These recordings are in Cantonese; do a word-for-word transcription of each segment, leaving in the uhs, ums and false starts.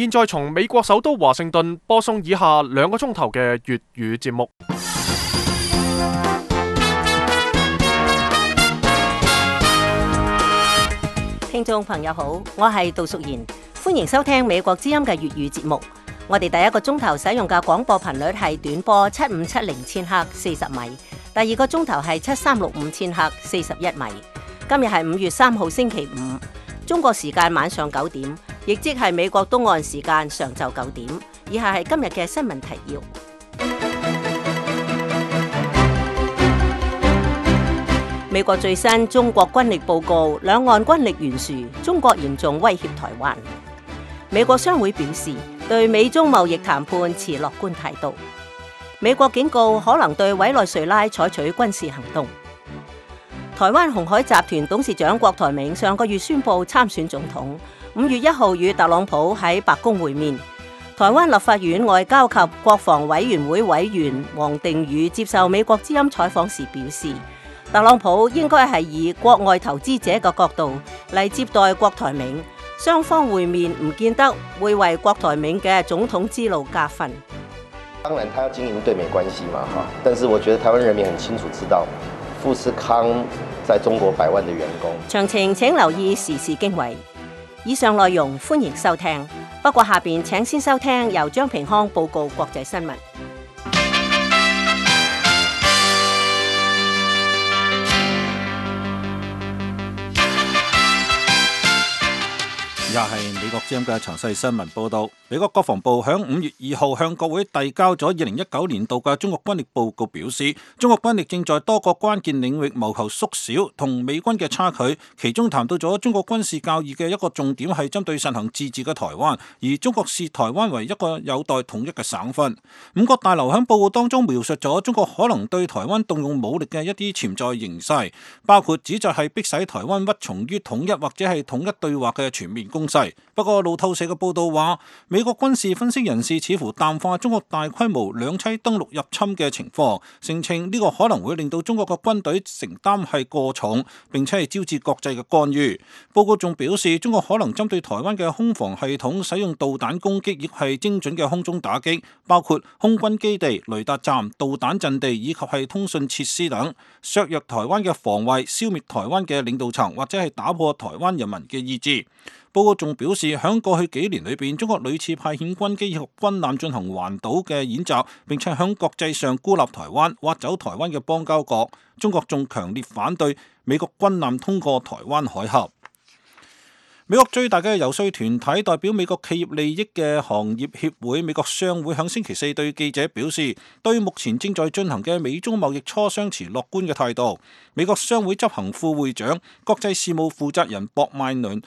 現在從美國首都華盛頓播送以下兩個鐘頭嘅粵語節目。聽眾朋友好，我係杜淑賢，歡迎收聽美國之音嘅粵語節目。我哋第一個鐘頭使用嘅廣播頻率係短波七五七零千赫四十米，第二個鐘頭係七三六五千赫四十一米。今日係五月三號星期五，中國時間晚上九點，亦即係美國東岸時間上晝九點。以下係今日嘅新聞提要。美國最新中國軍力報告，兩岸軍力懸殊，中國嚴重威脅台灣。美國商會表示，對美中貿易談判持樂觀態度。美國警告可能對委內瑞拉採取軍事行動。台灣鴻海集團董事長郭台銘上個月宣布參選總統，五月一號與特朗普喺白宮會面。台灣立法院外交及國防委員會委員王定宇接受美國之音採訪時表示，特朗普應該係以國外投資者嘅角度嚟接待郭台銘，雙方會面唔見得會為郭台銘嘅總統之路加分。當然，他要經營對美關係嘛，哈，但是我覺得台灣人民很清楚知道，富士康在中國百萬的員工。詳情請留意時事經緯。以上內容歡迎收聽，不過下邊請先收聽由張平康報告國際新聞。又係美國之音嘅詳細新聞報道。美國國防部響五月二號向國會遞交咗二零一九年度嘅中國軍力報告，表示中國軍力正在多個關鍵領域謀求縮小同美軍嘅差距。其中談到咗中國軍事教義嘅一個重點係針對實行自治嘅台灣，而中國視台灣為一個有待統一嘅省份。五角大樓響報告當中描述咗中國可能對台灣動用武力嘅一啲潛在形勢，包括指責係迫使台灣屈從於統一或者係統一對話嘅全面攻勢。不過路透社嘅報道話，美國軍事分析人士似乎淡化中國大規模兩棲登陸入侵嘅情況，聲稱呢個可能會令到中國嘅軍隊承擔係過重，並且係招致國際嘅干預。報告仲表示，中國可能針對台灣嘅空防系統使用導彈攻擊，亦係精準嘅空中打擊，包括空軍基地、雷達站、導彈陣地以及係通訊設施等，削弱台灣嘅防衛，消滅台灣嘅領導層，或者係打破台灣人民嘅意志。報告仲表示，響過去幾年裏邊，中國屢次派遣軍機以及軍艦進行環島嘅演習，並且響國際上孤立台灣，挖走台灣嘅邦交國。中國仲強烈反對美國軍艦通過台灣海峽。美國最大嘅游說團體代表美國企業利益嘅行業協會美國商會響星期四對記者表示，對目前正在進行嘅美中貿易磋商持樂觀嘅態度。美國商會執行副會長、國際事務負責人博邁倫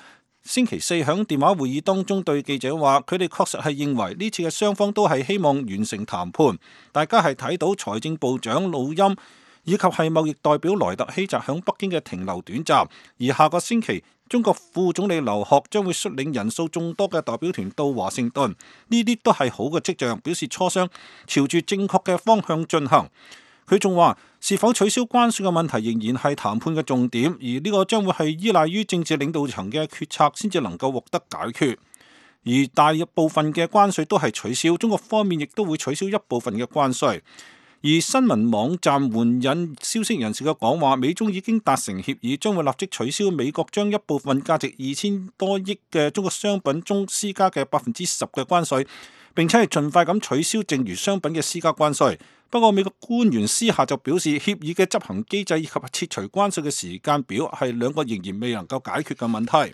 星期四響電話會議當中對記者話，佢哋確實係認為呢次嘅雙方都係希望完成談判。大家係睇到財政部長魯欽以及係貿易代表萊特希澤響北京嘅停留短暫，而下個星期中國副總理劉鶴將會率領人數眾多嘅代表團到華盛頓，呢啲都係好嘅跡象，表示磋商朝住正確嘅方向進行。佢仲話，是否取消關稅嘅問題仍然係談判嘅重點，而呢個將會係依賴於政治領導層嘅決策先至能夠獲得解決。而大部分嘅關稅都係取消，中國方面亦都會取消一部分嘅關稅。而新聞網站援引消息人士嘅講話，美中已經達成協議，將會立即取消美國將一部分價值二千多億嘅中國商品中施加嘅百分之十嘅關稅，並且係盡快咁取消剩餘商品嘅施加關稅。不過美國官員私下就表示，協議嘅執行機制以及撤除關稅嘅時間表係兩個仍然未能夠解決嘅問題。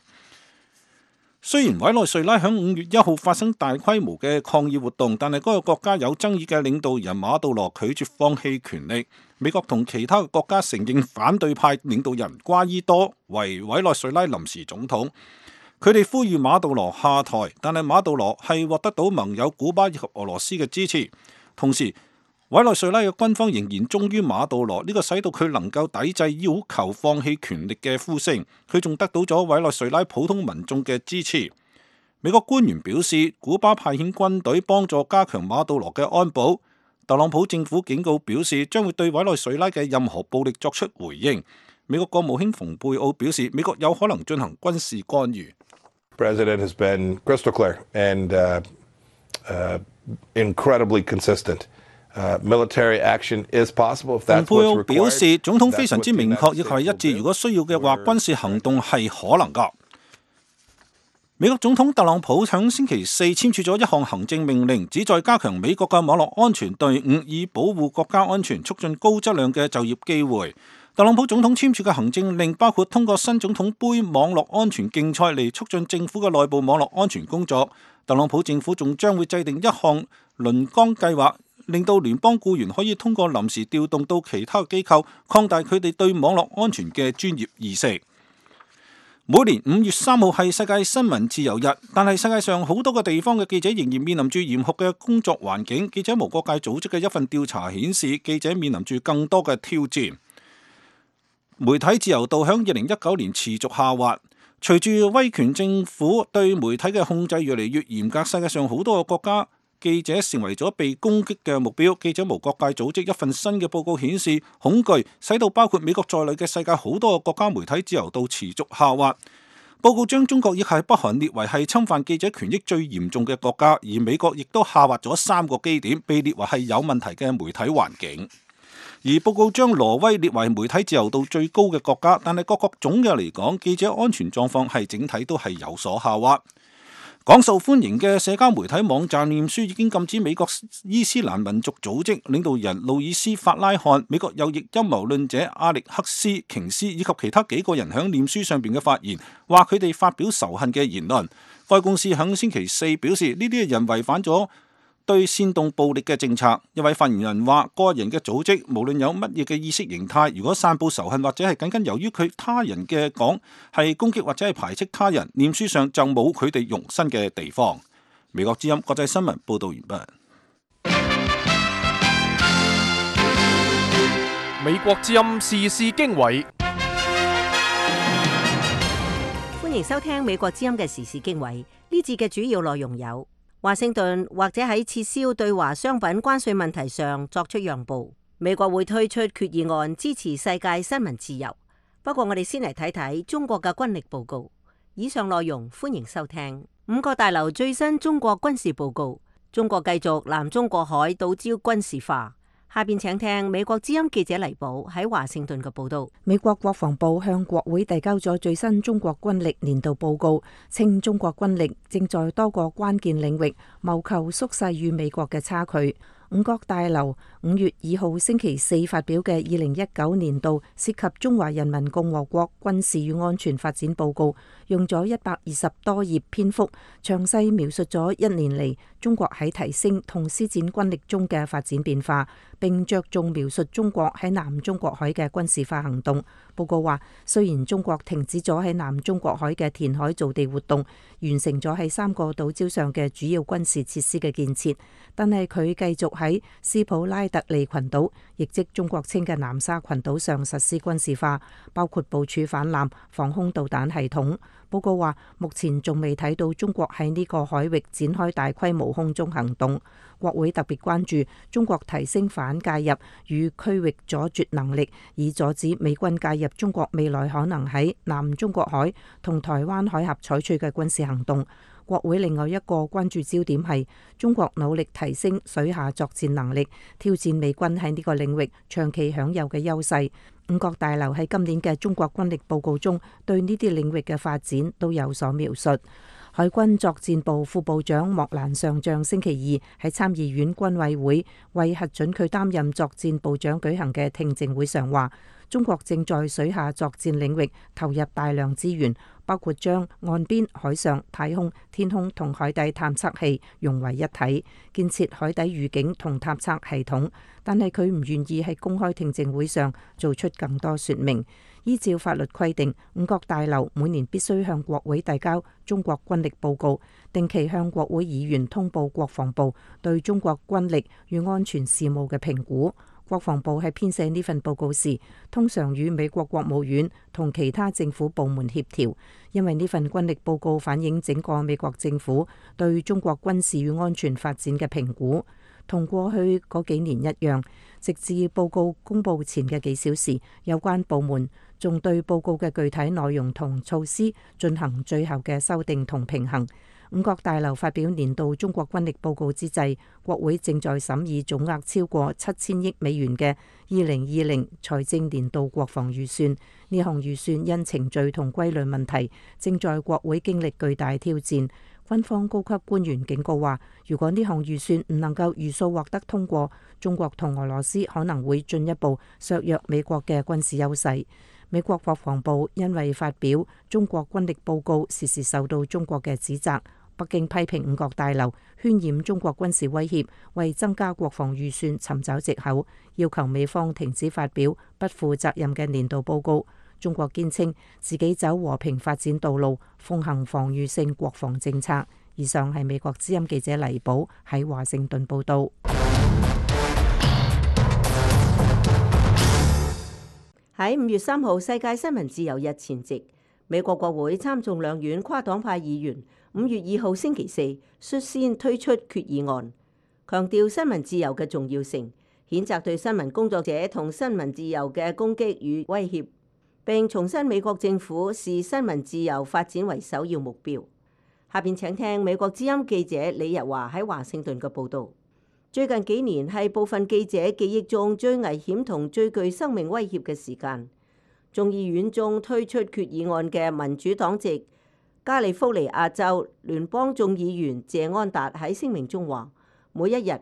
雖然委內瑞拉響五月一號發生大規模嘅抗議活動，但係嗰個國家有爭議嘅領導人馬杜羅拒絕放棄權力。美國同其他嘅國家承認反對派領導人瓜伊多為委內瑞拉臨時總統，佢哋呼籲馬杜羅下台，但係馬杜羅係獲得到盟友古巴以及俄羅斯嘅支持。同時委內瑞拉嘅軍方仍然忠於馬杜羅，呢個使到佢能夠抵制要求放棄權力嘅呼聲。佢仲得到咗委內瑞拉普通民眾嘅支持。美國官員表示，古巴派遣軍隊幫助加強馬杜羅嘅安保。特朗普政府警告表示，將會對委內瑞拉嘅任何暴力作出回應。美國國務卿蓬佩奧表示，美國有可能進行軍事干預。president has been crystal clear and uh, uh, incredibly consistent. Uh, military action is possible if that's what's required.蓬佩奧表示，總統非常之明確，亦係一致。如果需要嘅話，軍事行動係可能㗎。美國總統特朗普響星期四簽署咗一項行政命令，旨在加強美國嘅網絡安全隊伍，以保護國家安全，促進高質量嘅就業機會。特朗普總統簽署嘅行政令包括通過新總統杯網絡安全競賽嚟促進政府嘅內部網絡安全工作。特朗普政府仲將會制定一項輪崗計劃，令到聯邦僱員可以通過臨時調動到其他機構，擴大佢哋對網絡安全嘅專業意識。每年五月三號係世界新聞自由日，但係世界上好多個地方嘅記者仍然面臨住嚴酷嘅工作環境。記者無國界組織嘅一份調查顯示，記者面臨住更多嘅挑戰。媒體自由度響二零一九年持續下滑，隨住威權政府對媒體嘅控制越嚟越嚴格，世界上好多個國家記者成為咗被攻擊嘅目標。記者無國界組織一份新嘅報告顯示，恐懼使到包括美國在內嘅世界好多個國家媒體自由度持續下滑。報告將中國亦係北韓列為係侵犯記者權益最嚴重嘅國家，而美國亦都下滑咗三個基點，被列為係有問題嘅媒體環境。而報告將挪威列為媒體自由度最高嘅國家，但係各國總嘅嚟講，記者安全狀況係整體都係有所下滑。廣受歡迎嘅社交媒體網站臉書已經禁止美國伊斯蘭民族組織領導人路易斯法拉罕、美國右翼陰謀論者阿力克斯瓊斯以及其他幾個人喺臉書上邊嘅發言，話佢哋發表仇恨嘅言論。該公司喺星期四表示，呢啲人違反咗對煽動暴力嘅政策。一位發言人話，個人嘅組織無論有乜嘢嘅意識形態，如果散佈仇恨或者係僅僅由於佢他人嘅講係攻擊或者係排斥他人，臉書上就冇佢哋容身嘅地方。美國之音國際新聞報道完畢。美國之音時事經緯，歡迎收聽美國之音嘅時事經緯。呢節嘅主要內容有：華盛頓或者喺撤銷對華商品關稅問題上作出讓步。美國會推出決議案支持世界新聞自由。不過我哋先嚟睇睇中國嘅軍力報告。以上內容歡迎收聽。五角大樓最新中國軍事報告：中國繼續南中國海島礁軍事化。下邊請聽美國之音記者黎寶喺華盛頓嘅報道。美國國防部向國會遞交咗最新中國軍力年度報告，稱中國軍力正在多個關鍵領域謀求縮細與美國嘅差距。五角大樓五月二號星期四發表嘅二零一九年度涉及中華人民共和國軍事與安全發展報告，用咗一百二十多頁篇幅，詳細描述咗一年嚟中國喺提升同施展軍力中嘅發展變化，並着重描述中國喺南中國海嘅軍事化行動。報告話，雖然中國停止咗喺南中國海嘅填海造地活動，完成咗喺三個島礁上嘅主要軍事設施嘅建設，但係佢繼續喺斯普拉特利群島，亦即中國稱嘅南沙群島上實施軍事化，包括部署反艦防空導彈系統。報告話，目前仲未睇到中國喺呢個海域展開大規模空中行動。國會特別關注中國提升反介入與區域阻絕能力，以阻止美軍介入中國未來可能喺南中國海同台灣海峽採取嘅軍事行動。國會另外一個關注焦點係中國努力提升水下作戰能力，挑戰美軍喺呢個領域長期享有嘅優勢。五角大樓喺今年嘅中國軍力報告中，對呢啲領域嘅發展都有所描述。海軍作戰部副部長莫蘭上將星期二喺參議院軍委會為核准佢擔任作戰部長舉行嘅聽證會上話，中國正在水下作戰領域投入大量資源，包括將岸邊、海上、太空、天空同海底探測器融為一體，建設海底預警同探測系統。但係佢唔願意喺公開聽證會上做出更多說明。依照法律規定，五角大樓每年必須向國會遞交中國軍力報告，定期向國會議員通報國防部對中國軍力與安全事務嘅評估。國防部喺編寫呢份報告時，通常與美國國務院同其他政府部門協調，因為呢份軍力報告反映整個美國政府對中國軍事與安全發展嘅評估。同過去嗰幾年一樣，直至報告公佈前嘅幾小時，有關部門仲對報告嘅具體內容同措施進行最後嘅修訂同平衡。五角大樓發表年度中國軍力報告之際，國會正在審議總額超過七千億美元嘅二零二零財政年度國防預算。呢項預算因程序同規律問題，正在國會經歷巨大挑戰。軍方高級官員警告話，如果呢項預算唔能夠如數獲得通過，中國同俄羅斯可能會進一步削弱美國嘅軍事優勢。美國國防部因為發表中國軍力報告，時時受到中國嘅指責。北京批評五角大樓渲染中國軍事威脅，為增加國防預算尋找藉口，要求美方停止發表不負責任嘅年度報告。中國堅稱自己走和平發展道路，奉行防禦性國防政策。以上係美國之音記者黎寶喺華盛頓報道。喺五月三號世界新聞自由日前夕，美國國會參眾兩院跨黨派議員五月二號星期四率先推出決議案，強調新聞自由嘅重要性，譴責對新聞工作者同新聞自由嘅攻擊與威脅，並重申美國政府視新聞自由發展為首要目標。下邊請聽美國之音記者李日華喺華盛頓嘅報導。最近幾年係部分記者記憶中最危險同最具生命威脅嘅時間。眾議院中推出決議案嘅民主黨籍加利福尼亞州聯邦眾議員謝安達喺聲明中話：每一日，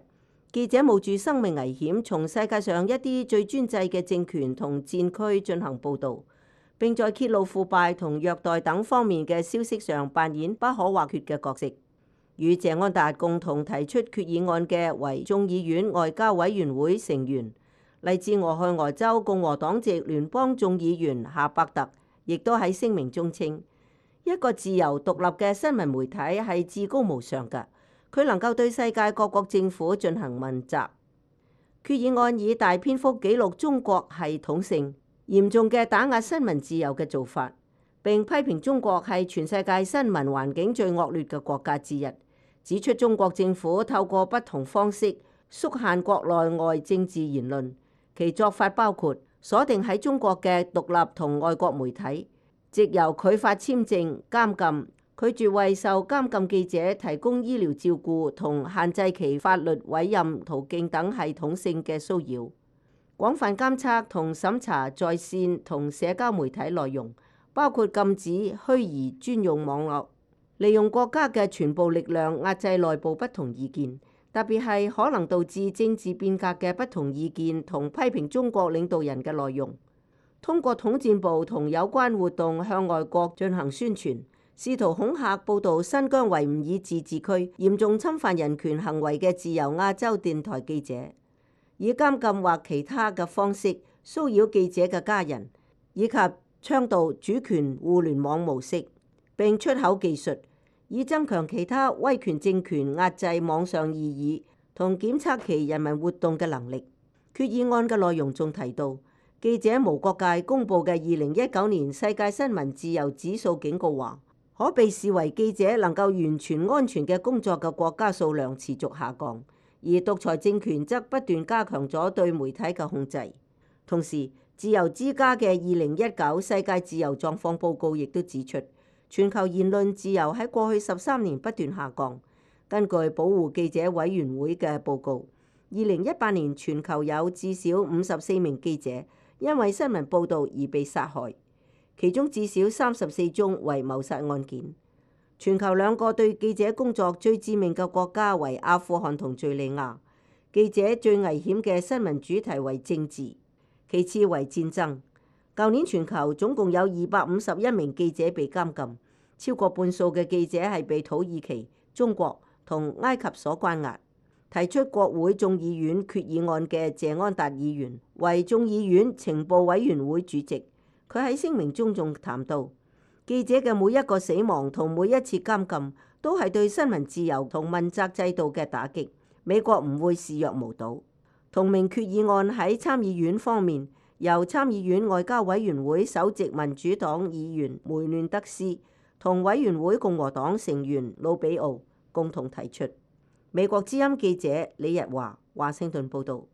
記者冒住生命危險，從世界上一啲最專制嘅政權同戰區進行報導，並在揭露腐敗同虐待等方面嘅消息上扮演不可或缺嘅角色。與謝安達共同提出決議案嘅為眾議院外交委員會成員，嚟自俄亥俄州共和黨籍聯邦眾議員夏伯特，亦都喺聲明中稱：一個自由獨立嘅新聞媒體係至高無上嘅，佢能夠對世界各國政府進行問責。決議案以大篇幅記錄中國系統性嚴重嘅打壓新聞自由嘅做法，並批評中國係全世界新聞環境最惡劣嘅國家之一，指出中國政府透過不同方式縮限國內外政治言論。其做法包括鎖定喺中國嘅獨立同外國媒體，藉由拒發簽證、監禁、拒絕為受監禁記者提供醫療照顧同限制其法律委任途徑等系統性嘅騷擾，廣泛監測同審查在線同社交媒體內容，包括禁止虛擬專用網絡，利用國家嘅全部力量壓制內部不同意見，特別係可能導致政治變革嘅不同意見同批評中國領導人嘅內容，通過統戰部同有關活動向外國進行宣傳，試圖恐嚇報導新疆維吾爾自治區嚴重侵犯人權行為嘅自由亞洲電台記者，以監禁或其他嘅方式騷擾記者嘅家人，以及倡導主權互聯網模式，並出口技術，以增強其他威權政權壓制網上異議同檢測其人民活動嘅能力。決議案嘅內容仲提到，記者無國界公佈嘅二零一九年世界新聞自由指數警告話，可被視為記者能夠完全安全嘅工作嘅國家數量持續下降，而獨裁政權則不斷加強咗對媒體嘅控制。同時，自由之家嘅二零一九世界自由狀況報告亦都指出，全球言論自由喺過去十三年不斷下降。根據保護記者委員會嘅報告，二零一八年全球有至少五十四名記者因為新聞報導而被殺害，其中至少三十四宗為謀殺案件。全球兩個對記者工作最致命嘅國家為阿富汗同敘利亞。記者最危險嘅新聞主題為政治，其次為戰爭。舊年全球總共有二百五十一名記者被監禁，超過半數嘅記者係被土耳其、中國同埃及所關押。提出國會眾議院決議案嘅謝安達議員為眾議院情報委員會主席，佢喺聲明中仲談到，記者嘅每一個死亡同每一次監禁都係對新聞自由同問責制度嘅打擊，美國唔會視若無睹。同名決議案喺參議院方面，由參議院外交委員會首席民主黨議員梅嫩德斯同委員會共和黨成員魯比奧共同提出。美國之音記者李日華，華盛頓報導。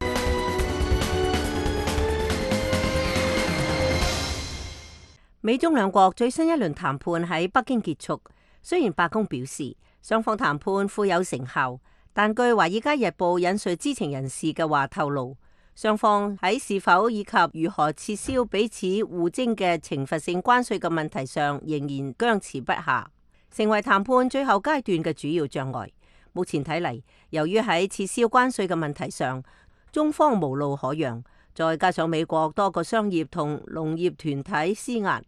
美中兩國最新一輪談判喺北京結束，雖然白宮表示雙方談判富有成效，但據《華爾街日報》引述知情人士嘅話透露，雙方喺是否以及如何撤銷彼此互徵嘅懲罰性關稅嘅問題上仍然僵持不下，成為談判最後階段嘅主要障礙。目前睇嚟，由於喺撤銷關稅嘅問題上，中方無路可讓，再加上美國多個商業同農業團體施壓，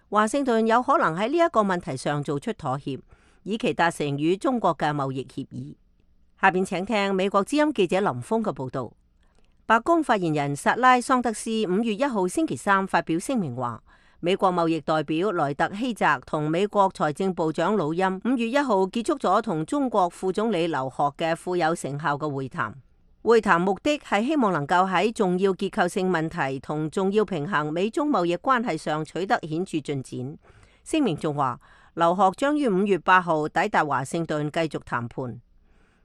華盛頓有可能喺呢一個問題上做出妥協，以期達成與中國嘅貿易協議。下邊請聽美國之音記者林峰嘅報道。白宮發言人薩拉桑德斯五月一號星期三發表聲明話，美國貿易代表萊特希澤同美國財政部長魯欽五月一號結束咗同中國副總理劉鶴嘅富有成效嘅會談。會談目的係希望能夠喺重要結構性問題同重要平衡美中貿易關係上取得顯著進展。聲明仲話，劉鶴將於五月八號抵達華盛頓繼續談判。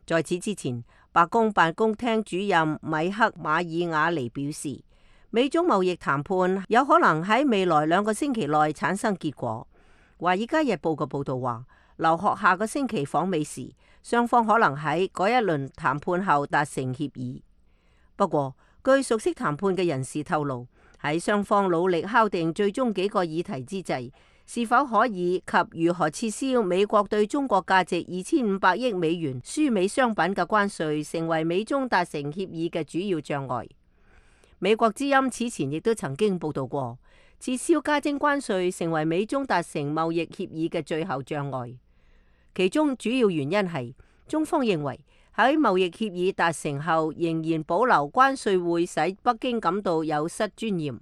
在此之前，白宮辦公廳主任米克馬爾瓦尼表示，美中貿易談判有可能喺未來兩個星期內產生結果。《華爾街日報》嘅報道話，劉鶴下個星期訪美時，雙方可能喺嗰一輪談判後達成協議。不過，據熟悉談判嘅人士透露，喺雙方努力敲定最終幾個議題之際，是否可以及如何撤銷美國對中國價值二千五百億美元輸美商品嘅關稅，成為美中達成協議嘅主要障礙。美國之音此前亦都曾經報道過，撤銷加徵關稅成為美中達成貿易協議嘅最後障礙。其中主要原因係中方認為喺貿易協議達成後，仍然保留關稅會使北京感到有失尊嚴。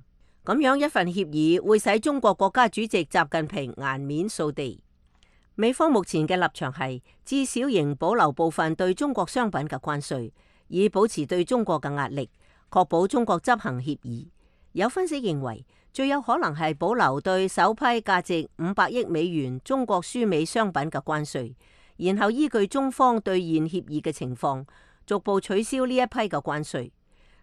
咁樣一份協議會使中國國家主席習近平顏面掃地。美方目前嘅立場係至少仍保留部分對中國商品嘅關稅，以保持對中國嘅壓力，確保中國執行協議。有分析認為，最有可能係保留對首批價值五百億美元中國輸美商品嘅關稅，然後依據中方兌現協議嘅情況，逐步取消呢一批嘅關稅。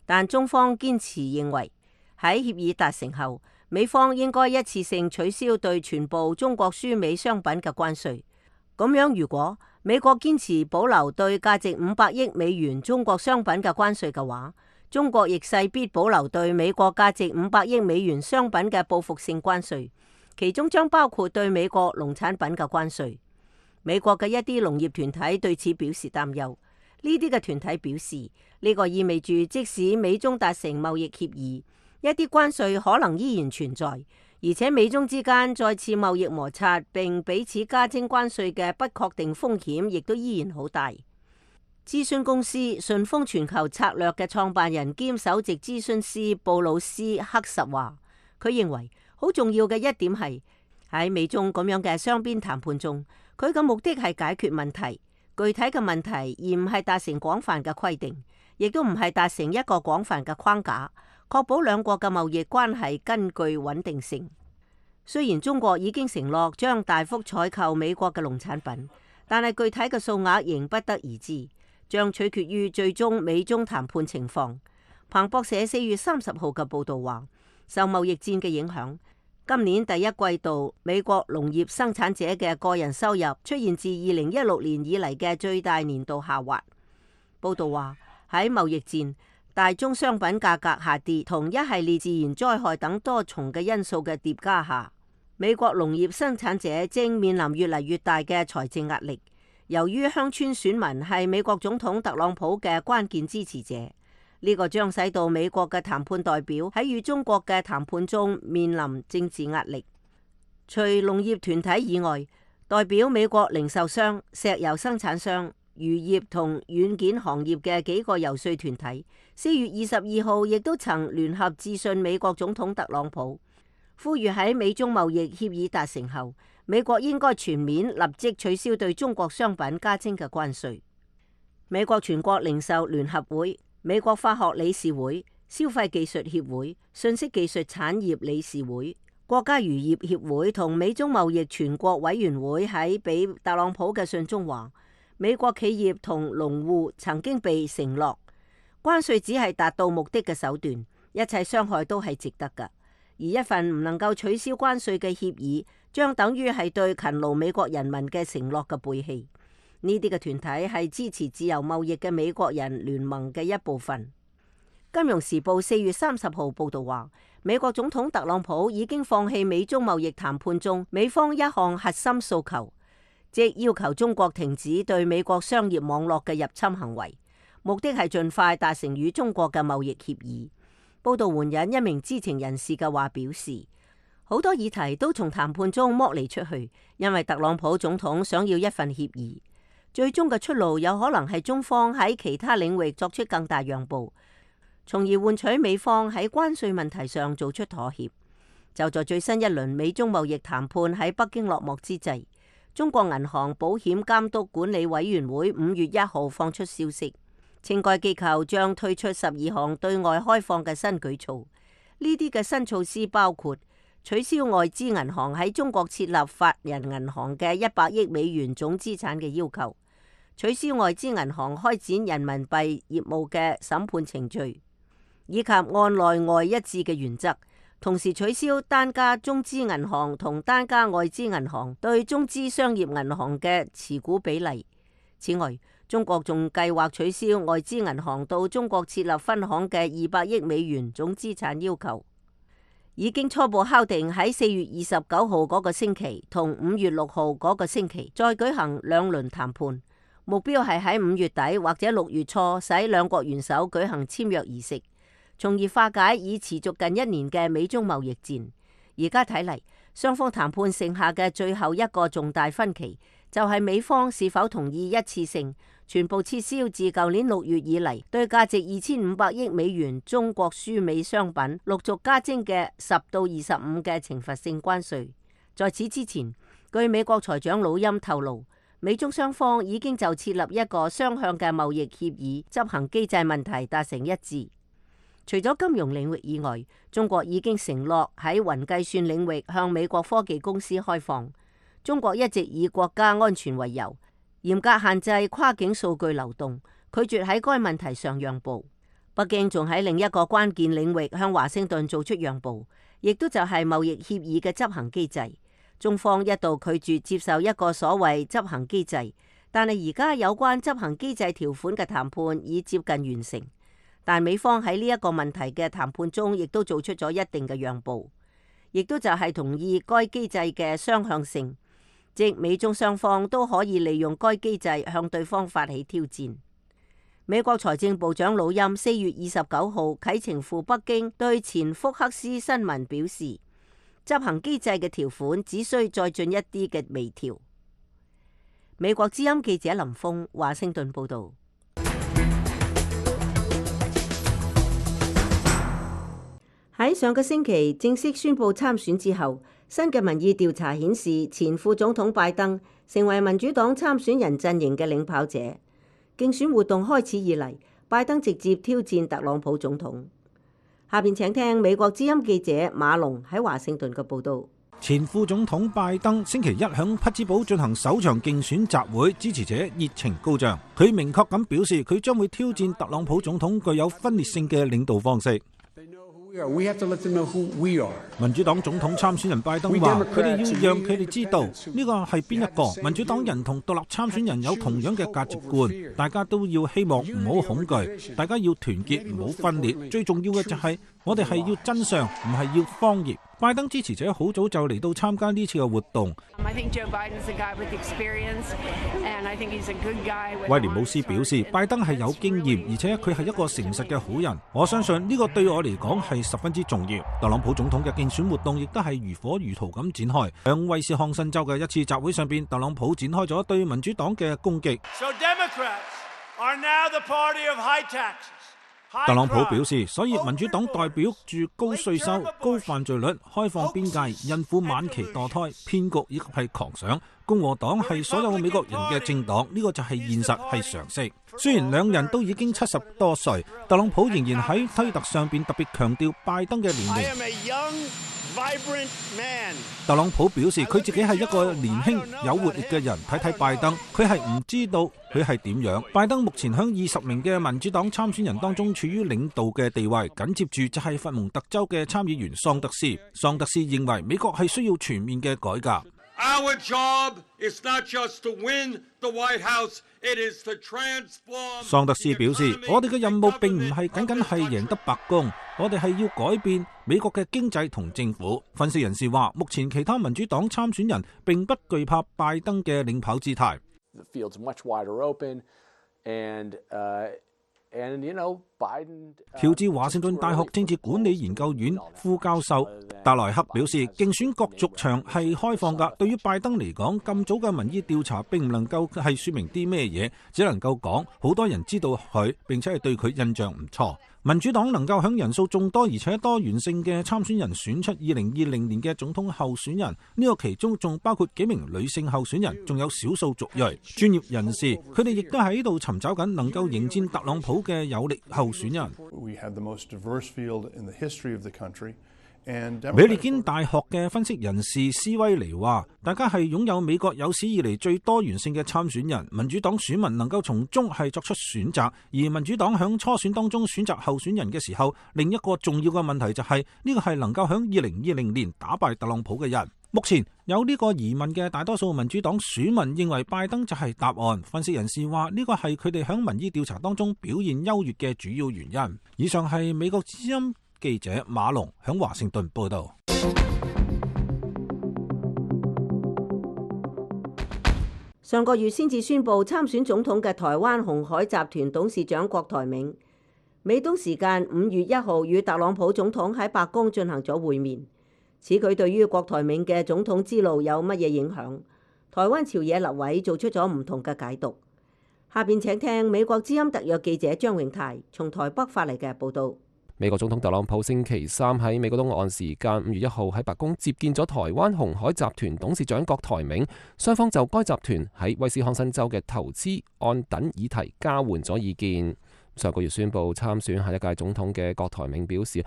但中方堅持認為，喺協議達成後，美方應該一次性取消對全部中國輸美商品嘅關稅。咁樣如果美國堅持保留對價值五百億美元中國商品嘅關稅嘅話，中國亦勢必保留對美國價值五百億美元商品嘅報復性關稅，其中將包括對美國農產品嘅關稅。美國嘅一啲農業團體對此表示擔憂。呢啲嘅團體表示，呢個意味住即使美中達成貿易協議，一啲關稅可能依然存在，而且美中之間再次貿易摩擦並彼此加徵關稅嘅不確定風險亦都依然好大。諮詢公司順豐全球策略嘅創辦人兼首席諮詢師布魯斯克什話，佢認為好重要嘅一點係喺美中咁樣嘅雙邊談判中，佢嘅目的係解決問題，具體嘅問題，而唔係達成廣泛嘅規定，亦都唔係達成一個廣泛嘅框架，確保兩國嘅貿易關係根據穩定性。雖然中國已經承諾將大幅採購美國嘅農產品，但係具體嘅數額仍不得而知，將取決於最終美中談判情況。彭博社四月三十號嘅報導話，受貿易戰嘅影響，今年第一季度美國農業生產者嘅個人收入出現自二零一六年以嚟嘅最大年度下滑。報導話，喺貿易戰、大宗商品價格下跌同一系列自然災害等多重嘅因素嘅疊加下，美國農業生產者正面臨越嚟越大嘅財政壓力。由於鄉村選民係美國總統特朗普嘅關鍵支持者，呢個將使到美國嘅談判代表喺與中國嘅談判中面臨政治壓力。除農業團體以外，代表美國零售商、石油生產商、漁業同軟件行業嘅幾個遊說團體，四月二十二號亦都曾聯合致信美國總統特朗普，呼籲喺美中貿易協議達成後，美國應該全面立即取消對中國商品加徵嘅關稅。美國全國零售聯合會、美國化學理事會、消費技術協會、信息技術產業理事會、國家漁業協會同美中貿易全國委員會喺俾特朗普嘅信中話，美國企業同農戶曾經被承諾，關稅只係達到目的嘅手段，一切傷害都係值得㗎。而一份唔能夠取消關稅嘅協議，將等於係對勤勞美國人民嘅承諾嘅背棄。呢啲嘅團體係支持自由貿易嘅美國人聯盟嘅一部分。金融時報四月三十號報道話，美國總統特朗普已經放棄美中貿易談判中美方一項核心訴求，即要求中國停止對美國商業網絡嘅入侵行為，目的係盡快達成與中國嘅貿易協議。報道援引一名知情人士嘅話表示，好多議題都從談判中剝離出去，因為特朗普總統想要一份協議，最終嘅出路有可能係中方喺其他領域作出更大讓步，從而換取美方喺關稅問題上做出妥協。就在最新一輪美中貿易談判喺北京落幕之際，中國銀行保險監督管理委員會五月一號放出消息，稱該機構將推出十二項對外開放嘅新舉措。呢啲嘅新措施包括取消外資銀行喺中國設立法人銀行嘅一百億美元總資產嘅要求，取消外資銀行開展人民幣業務嘅審判程序，以及按內外一致嘅原則，同時取消單家中資銀行同單家外資銀行對中資商業銀行嘅持股比例。此外，中國仲計劃取消外資銀行到中國設立分行嘅二百億美元總資產要求。已經初步敲定喺四月二十九號嗰個星期同五月六號嗰個星期再舉行兩輪談判，目標係喺五月底或者六月初使兩國元首舉行簽約儀式，從而化解已持續近一年嘅美中貿易戰。而家睇嚟，雙方談判剩下嘅最後一個重大分歧，就係美方是否同意一次性全部撤銷自舊年六月以嚟對價值二千五百億美元中國輸美商品陸續加徵嘅十到二十五嘅懲罰性關稅。在此之前，據美國財長魯欽透露，美中雙方已經就設立一個雙向嘅貿易協議執行機制問題達成一致。除咗金融領域以外，中國已經承諾喺雲計算領域向美國科技公司開放。中國一直以國家安全為由，嚴格限制跨境數據流動，拒絕喺該問題上讓步。北京仲喺另一個關鍵領域向華盛頓做出讓步，亦都就係貿易協議嘅執行機制。中方一度拒絕接受一個所謂執行機制，但係而家有關執行機制條款嘅談判已接近完成。但美方喺呢一個問題嘅談判中，亦都做出咗一定嘅讓步，亦都就係同意該機制嘅雙向性，即美中雙方都可以利用該機制向對方發起挑戰。美國財政部長魯欽四月二十九號啟程赴北京，對前福克斯新聞表示，執行機制嘅條款只需再進一啲嘅微調。美國之音記者林峰華盛頓報道。喺上個星期正式宣布參選之後，新嘅民意調查顯示，前副總統拜登成為民主黨參選人陣營嘅領跑者。競選活動開始以嚟，拜登直接挑戰特朗普總統。下邊請聽美國之音記者馬龍喺華盛頓嘅報道。前副總統拜登星期一響匹茲堡進行首場競選集會，支持者熱情高漲。佢明確咁表示，佢將會挑戰特朗普總統具有分裂性嘅領導方式。民主黨總統參選人拜登話：佢哋要讓佢哋知道呢個係邊一個。民主黨人同獨立參選人有同樣嘅價值觀，大家都要希望唔好恐懼，大家要團結，唔好分裂。最重要嘅就係我哋係要真相，唔係要謊言。拜登支持者好早就嚟到參加呢次嘅活動。威廉姆斯表示，拜登係有經驗，而且佢係一個誠實嘅好人。我相信呢個對我嚟講係十分之重要。特朗普總統嘅競選活動亦都係如火如荼咁展開。響威斯康辛州嘅一次集會上邊，特朗普展開咗對民主黨嘅攻擊。So Democrats are now the party of high taxes. 特朗普表示，所以民主黨代表住高稅收、高犯罪率、開放邊界、孕婦晚期墮胎、騙局以及係狂想。共和黨係所有美國人嘅政黨，呢個就係現實，係常識。雖然兩人都已經七十多歲，特朗普仍然喺推特上邊特別強調拜登嘅年齡。特朗普表示佢自己係一個年輕有活力嘅人，睇睇拜登，佢係唔知道佢係點樣。拜登目前響二十名嘅民主黨參選人當中處於領導嘅地位，緊接住就係佛蒙特州嘅參議員桑德斯。桑德斯認為美國係需要全面嘅改革。Our job is not just to win the White House, it is to transform。桑德斯表示，我哋嘅任務並唔係僅僅係贏得白宮，我哋係要改變美國嘅經濟同政府。分析人士話，目前其他民主黨參選人並不懼怕拜登嘅領跑姿態。The field's much wider open, and, uh, and, you know, Biden, uh, 喬治華盛頓大學政治管理研究院副教授達萊克表示，競選角逐場係開放㗎。對於拜登嚟講，咁早嘅民意調查並唔能夠係說明啲咩嘢，只能夠講好多人知道佢，並且係對佢印象唔錯。民主黨能夠響人數眾多而且多元性嘅參選人選出二零二零年嘅總統候選人，呢個其中仲包括幾名女性候選人，仲有少數族裔。專業人士佢哋亦都喺度尋找緊能夠迎戰特朗普嘅有力候選人。美利堅大學嘅分析人士斯威尼話，大家係擁有美國有史以嚟最多元性嘅參選人，民主黨選民能夠從中係作出選擇，而民主黨響初選當中選擇候選人嘅時候，另一個重要嘅問題就係呢個係能夠響二零二零年打敗特朗普嘅人。目前有呢個疑問嘅大多數民主黨選民認為拜登就係答案。分析人士話，呢個係佢哋響民意調查當中表現優越嘅主要原因。以上係美國之音記者馬龍響華盛頓報道。上個月先至宣布參選總統嘅台灣鴻海集團董事長郭台銘，美東時間五月一號與特朗普總統喺白宮進行咗會面。此舉對於郭台銘嘅總統之路有乜嘢影響？台灣朝野立委做出咗唔同嘅解讀。下邊請聽美國之音特約記者張永泰從台北發嚟嘅報導。美國總統特朗普星期三喺美國東岸時間五月一號喺白宮接見咗台灣鴻海集團董事長郭台銘，雙方就該集團喺威斯康辛州嘅投資案等議題交換咗意見。上個月宣布參選下一屆總統嘅郭台銘表示，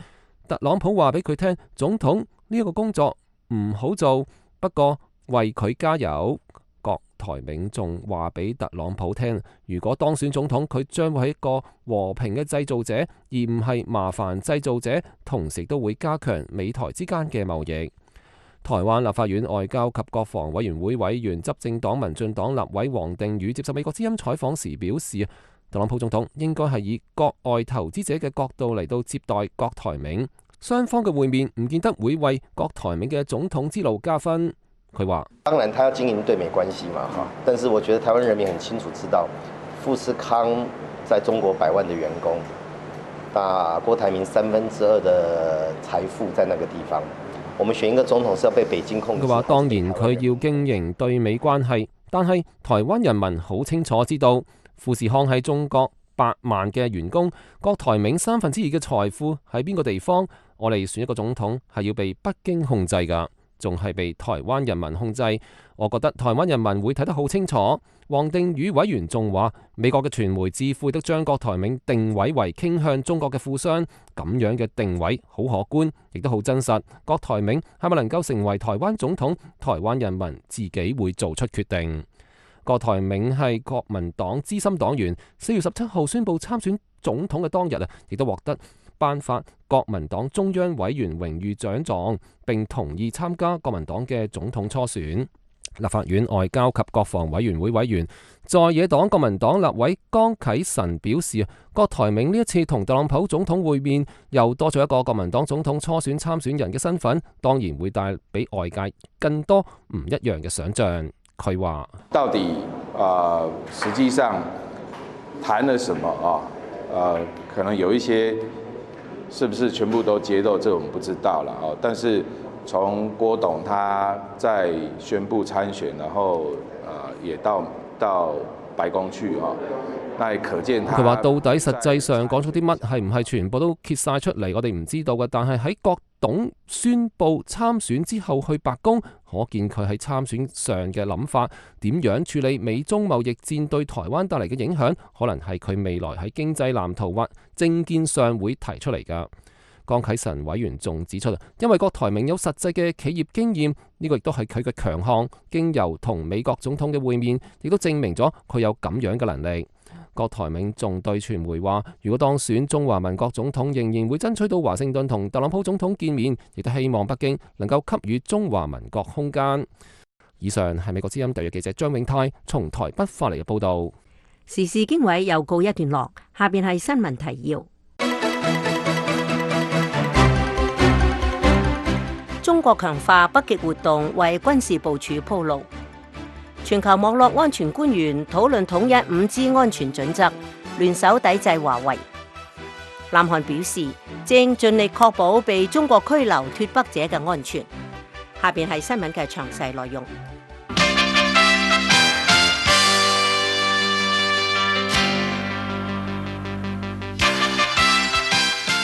特朗普話俾佢聽，總統呢一個工作唔好做，不過為佢加油。郭台銘仲話俾特朗普聽，如果當選總統，佢將會係一個和平嘅製造者，而唔係麻煩製造者，同時都會加強美台之間嘅貿易。台灣立法院外交及國防委員會委員、執政黨民進黨立委王定宇接受美國之音採訪時表示，特朗普總統應該係以國外投資者嘅角度嚟到接待郭台銘，雙方嘅會面唔見得會為郭台銘嘅總統之路加分。佢話：當然，他要經營對美關係嘛，哈。但是我覺得台灣人民很清楚知道，富士康在中國百萬的員工，那郭台銘三分之二的財富在那個地方。我們選一個總統是要被北京控制。佢話：當然佢要經營對美關係，但係台灣人民好清楚知道，富士康喺中國百萬嘅員工，郭台銘三分之二嘅財富喺邊個地方？我哋選一個總統係要被北京控制㗎。仲係被台灣人民控制，我覺得台灣人民會睇得好清楚。王定宇委員仲話，美國嘅傳媒智庫都將郭台銘定位為傾向中國嘅富商，咁樣嘅定位好可觀，亦都好真實。郭台銘係咪能夠成為台灣總統，台灣人民自己會做出決定。郭台銘係國民黨資深黨員，四月十七號宣布參選總統嘅當日啊，亦都獲得頒發國民黨中央委員榮譽獎狀，並同意參加國民黨嘅總統初選。立法院外交及國防委員會委員、在野黨國民黨立委江啟臣表示，郭台銘呢一次同特朗普總統會面，又多咗一個國民黨總統初選參選人嘅身份，當然會帶俾外界更多唔一樣嘅想象。佢話：到底啊、呃，實際上談了什麼啊？呃，可能有一些。是不是全部都揭露？這我們不知道了哦。但是從郭董他在宣布參選，然後呃也到到白宮去哦，那也可見他。佢話到底實際上講咗啲乜，係唔係全部都揭晒出嚟？我哋唔知道嘅。但係喺郭董宣布參選之後去白宮，可見佢喺參選上嘅諗法，點樣處理美中貿易戰對台灣帶嚟嘅影響，可能係佢未來喺經濟藍圖或政見上會提出嚟㗎。江啟臣委員仲指出，因為郭台銘有實際嘅企業經驗，呢個亦都係佢嘅強項。經由同美國總統嘅會面，亦都證明咗佢有咁樣嘅能力。郭台銘仲對傳媒話，如果當選中華民國總統，仍然會爭取到華盛頓同特朗普總統見面，亦都希望北京能夠給予中華民國空間。以上係美國之音特約記者張永泰從台北發嚟嘅報導。時事經緯又告一段落，下邊係新聞提要。中國強化北極活動，為軍事部署鋪路。全球網絡安全官員討論統一五 G 安全準則，聯手抵制華為。南韓表示正盡力確保被中國拘留脫北者嘅安全。下邊係新聞嘅詳細內容。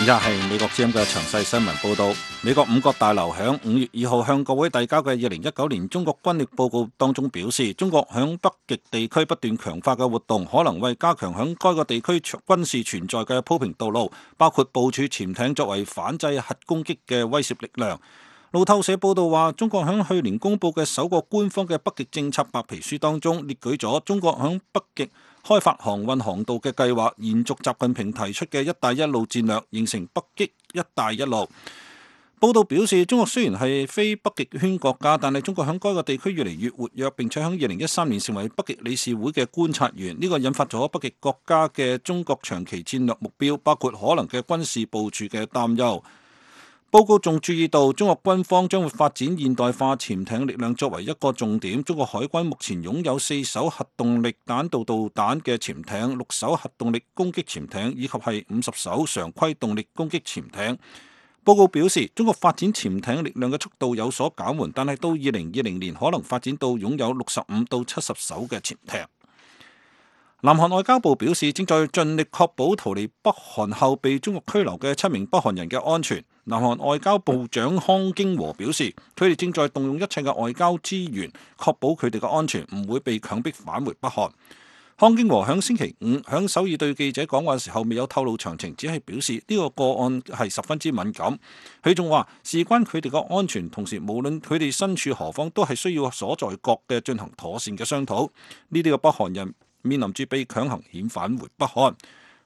以下係美國之音嘅詳細新聞報道。美國五角大樓響五月二號向國會遞交嘅二零一九年中國軍力報告當中表示，中國響北極地區不斷強化嘅活動，可能為加強響該個地區軍事存在嘅鋪平道路，包括部署潛艇作為反制核攻擊嘅威懾力量。路透社報道話，中國響去年公布嘅首個官方嘅北極政策白皮書當中，列舉咗中國響北極開發航運航道嘅計劃，延續習近平提出嘅一帶一路戰略，形成北極一帶一路。報道表示，中國雖然係非北極圈國家，但係中國響該個地區越嚟越活躍，並且響二零一三年成為北極理事會嘅觀察員。呢個引發咗北極國家嘅中國長期戰略目標，包括可能嘅軍事部署嘅擔憂。報告仲注意到，中國軍方將會發展現代化潛艇力量作為一個重點。中國海軍目前擁有四艘核動力彈道導彈嘅潛艇、六艘核動力攻擊潛艇以及係五十艘常規動力攻擊潛艇。報告表示，中國發展潛艇力量嘅速度有所減緩，但係到二零二零年可能發展到擁有六十五到七十艘嘅潛艇。南韓外交部表示，正在盡力確保逃離北韓後被中國拘留嘅七名北韓人嘅安全。南韓外交部長康京和表示，佢哋正在動用一切嘅外交資源，確保佢哋嘅安全唔會被強迫返回北韓。康京和響星期五響首爾對記者講話嘅時候，未有透露詳情，只係表示呢個個案係十分之敏感。佢仲話，事關佢哋嘅安全，同時無論佢哋身處何方，都係需要所在國嘅進行妥善嘅商討。呢啲嘅北韓人面臨住被強行遣返回北韓。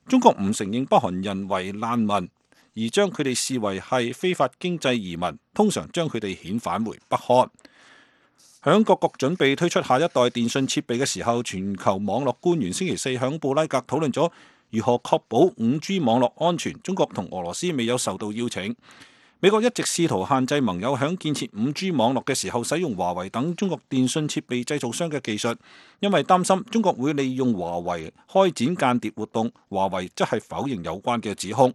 中國唔承認北韓人為難民，而將佢哋視為係非法經濟移民，通常將佢哋遣返回北韓。響各國準備推出下一代電信設備嘅時候，全球網絡官員星期四響布拉格討論咗如何確保五 G 網絡安全。中國同俄羅斯未有受到邀請。美國一直試圖限制盟友響建設五 G 網絡嘅時候使用華為等中國電信設備製造商嘅技術，因為擔心中國會利用華為開展間諜活動。華為則係否認有關嘅指控。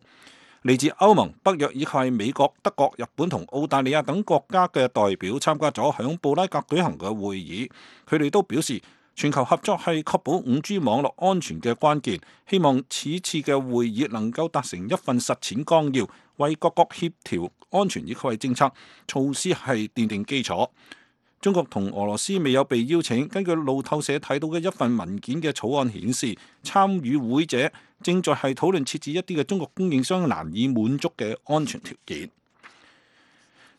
嚟自歐盟、北約以及係美國、德國、日本同澳大利亞等國家嘅代表參加咗響布拉格舉行嘅會議，佢哋都表示全球合作係確保五 G 網絡安全嘅關鍵，希望此次嘅會議能夠達成一份實踐綱要，為各國協調安全以及係政策措施係奠定基礎。中國同俄羅斯未有被邀請。根據路透社睇到嘅一份文件嘅草案顯示，參與會者正在係討論設置一啲嘅中國供應商難以滿足嘅安全條件。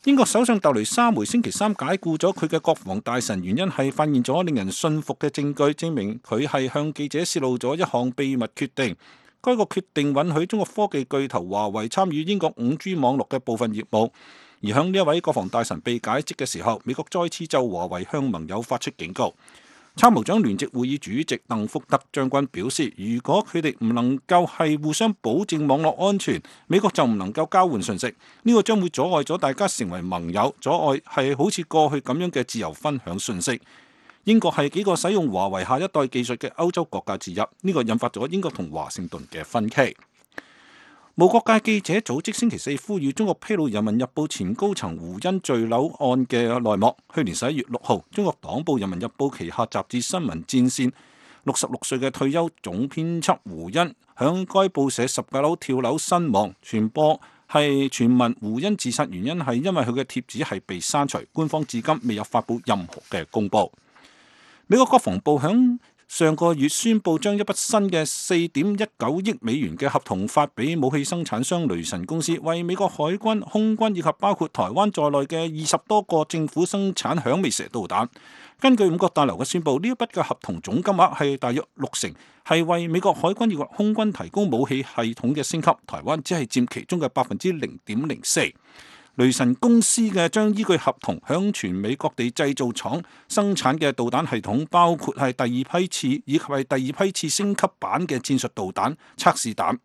英國首相特雷莎梅星期三解雇咗佢嘅國防大臣，原因係發現咗令人信服嘅證據，證明佢係向記者泄露咗一項秘密決定。該個決定允許中國科技巨頭華為參與英國五 G 網絡嘅部分業務。而向呢一位國防大臣被解職嘅時候，美國再次就華為向盟友發出警告。參謀長聯席會議主席鄧福德將軍表示，如果佢哋唔能夠係互相保證網絡安全，美國就唔能夠交換信息。呢個將會阻礙咗大家成為盟友，阻礙係好似過去咁樣嘅自由分享信息。英國係幾個使用華為下一代技術嘅歐洲國家之一，呢個引發咗英國同華盛頓嘅分歧。無國界記者組織星期四呼籲中國披露《人民日報》前高層胡茵墜樓案嘅內幕。去年十一月六號，中國黨報《人民日報》旗下雜誌《新聞戰線》六十六歲嘅退休總編輯胡茵響該報社十九樓跳樓身亡，傳播係傳聞胡茵自殺原因係因為佢嘅貼紙係被刪除，官方至今未有發布任何嘅公佈。美國國防部響上個月宣布將一筆新嘅四點一九億美元嘅合同發俾武器生產商雷神公司，為美國海軍、空軍以及包括台灣在內嘅二十多個政府生產響尾蛇導彈。根據五角大樓嘅宣布，呢一筆嘅合同總金額係大約六成，係為美國海軍以及空軍提供武器系統嘅升級，台灣只係佔其中嘅百分之零點零四。雷神公司嘅將依據合同向全美各地製造廠生產嘅導彈系統，包括係第二批次以及係第二批次升級版嘅戰術導彈測試彈。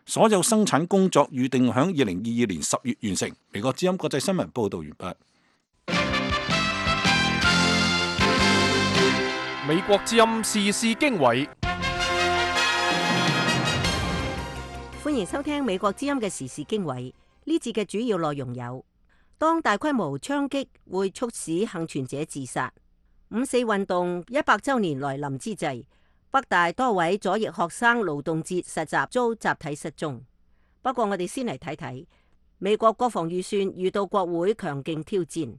所有生產工作預定響二零二二年十月完成。美國之音國際新聞報道完畢。美國之音時事經緯，歡迎收聽美國之音嘅時事經緯。呢節嘅主要內容有：當大規模槍擊會促使幸存者自殺；五四運動一百週年來臨之際，北大多位左翼學生勞動節實習遭集體失蹤。不過我哋先嚟睇睇美國國防預算遇到國會強勁挑戰。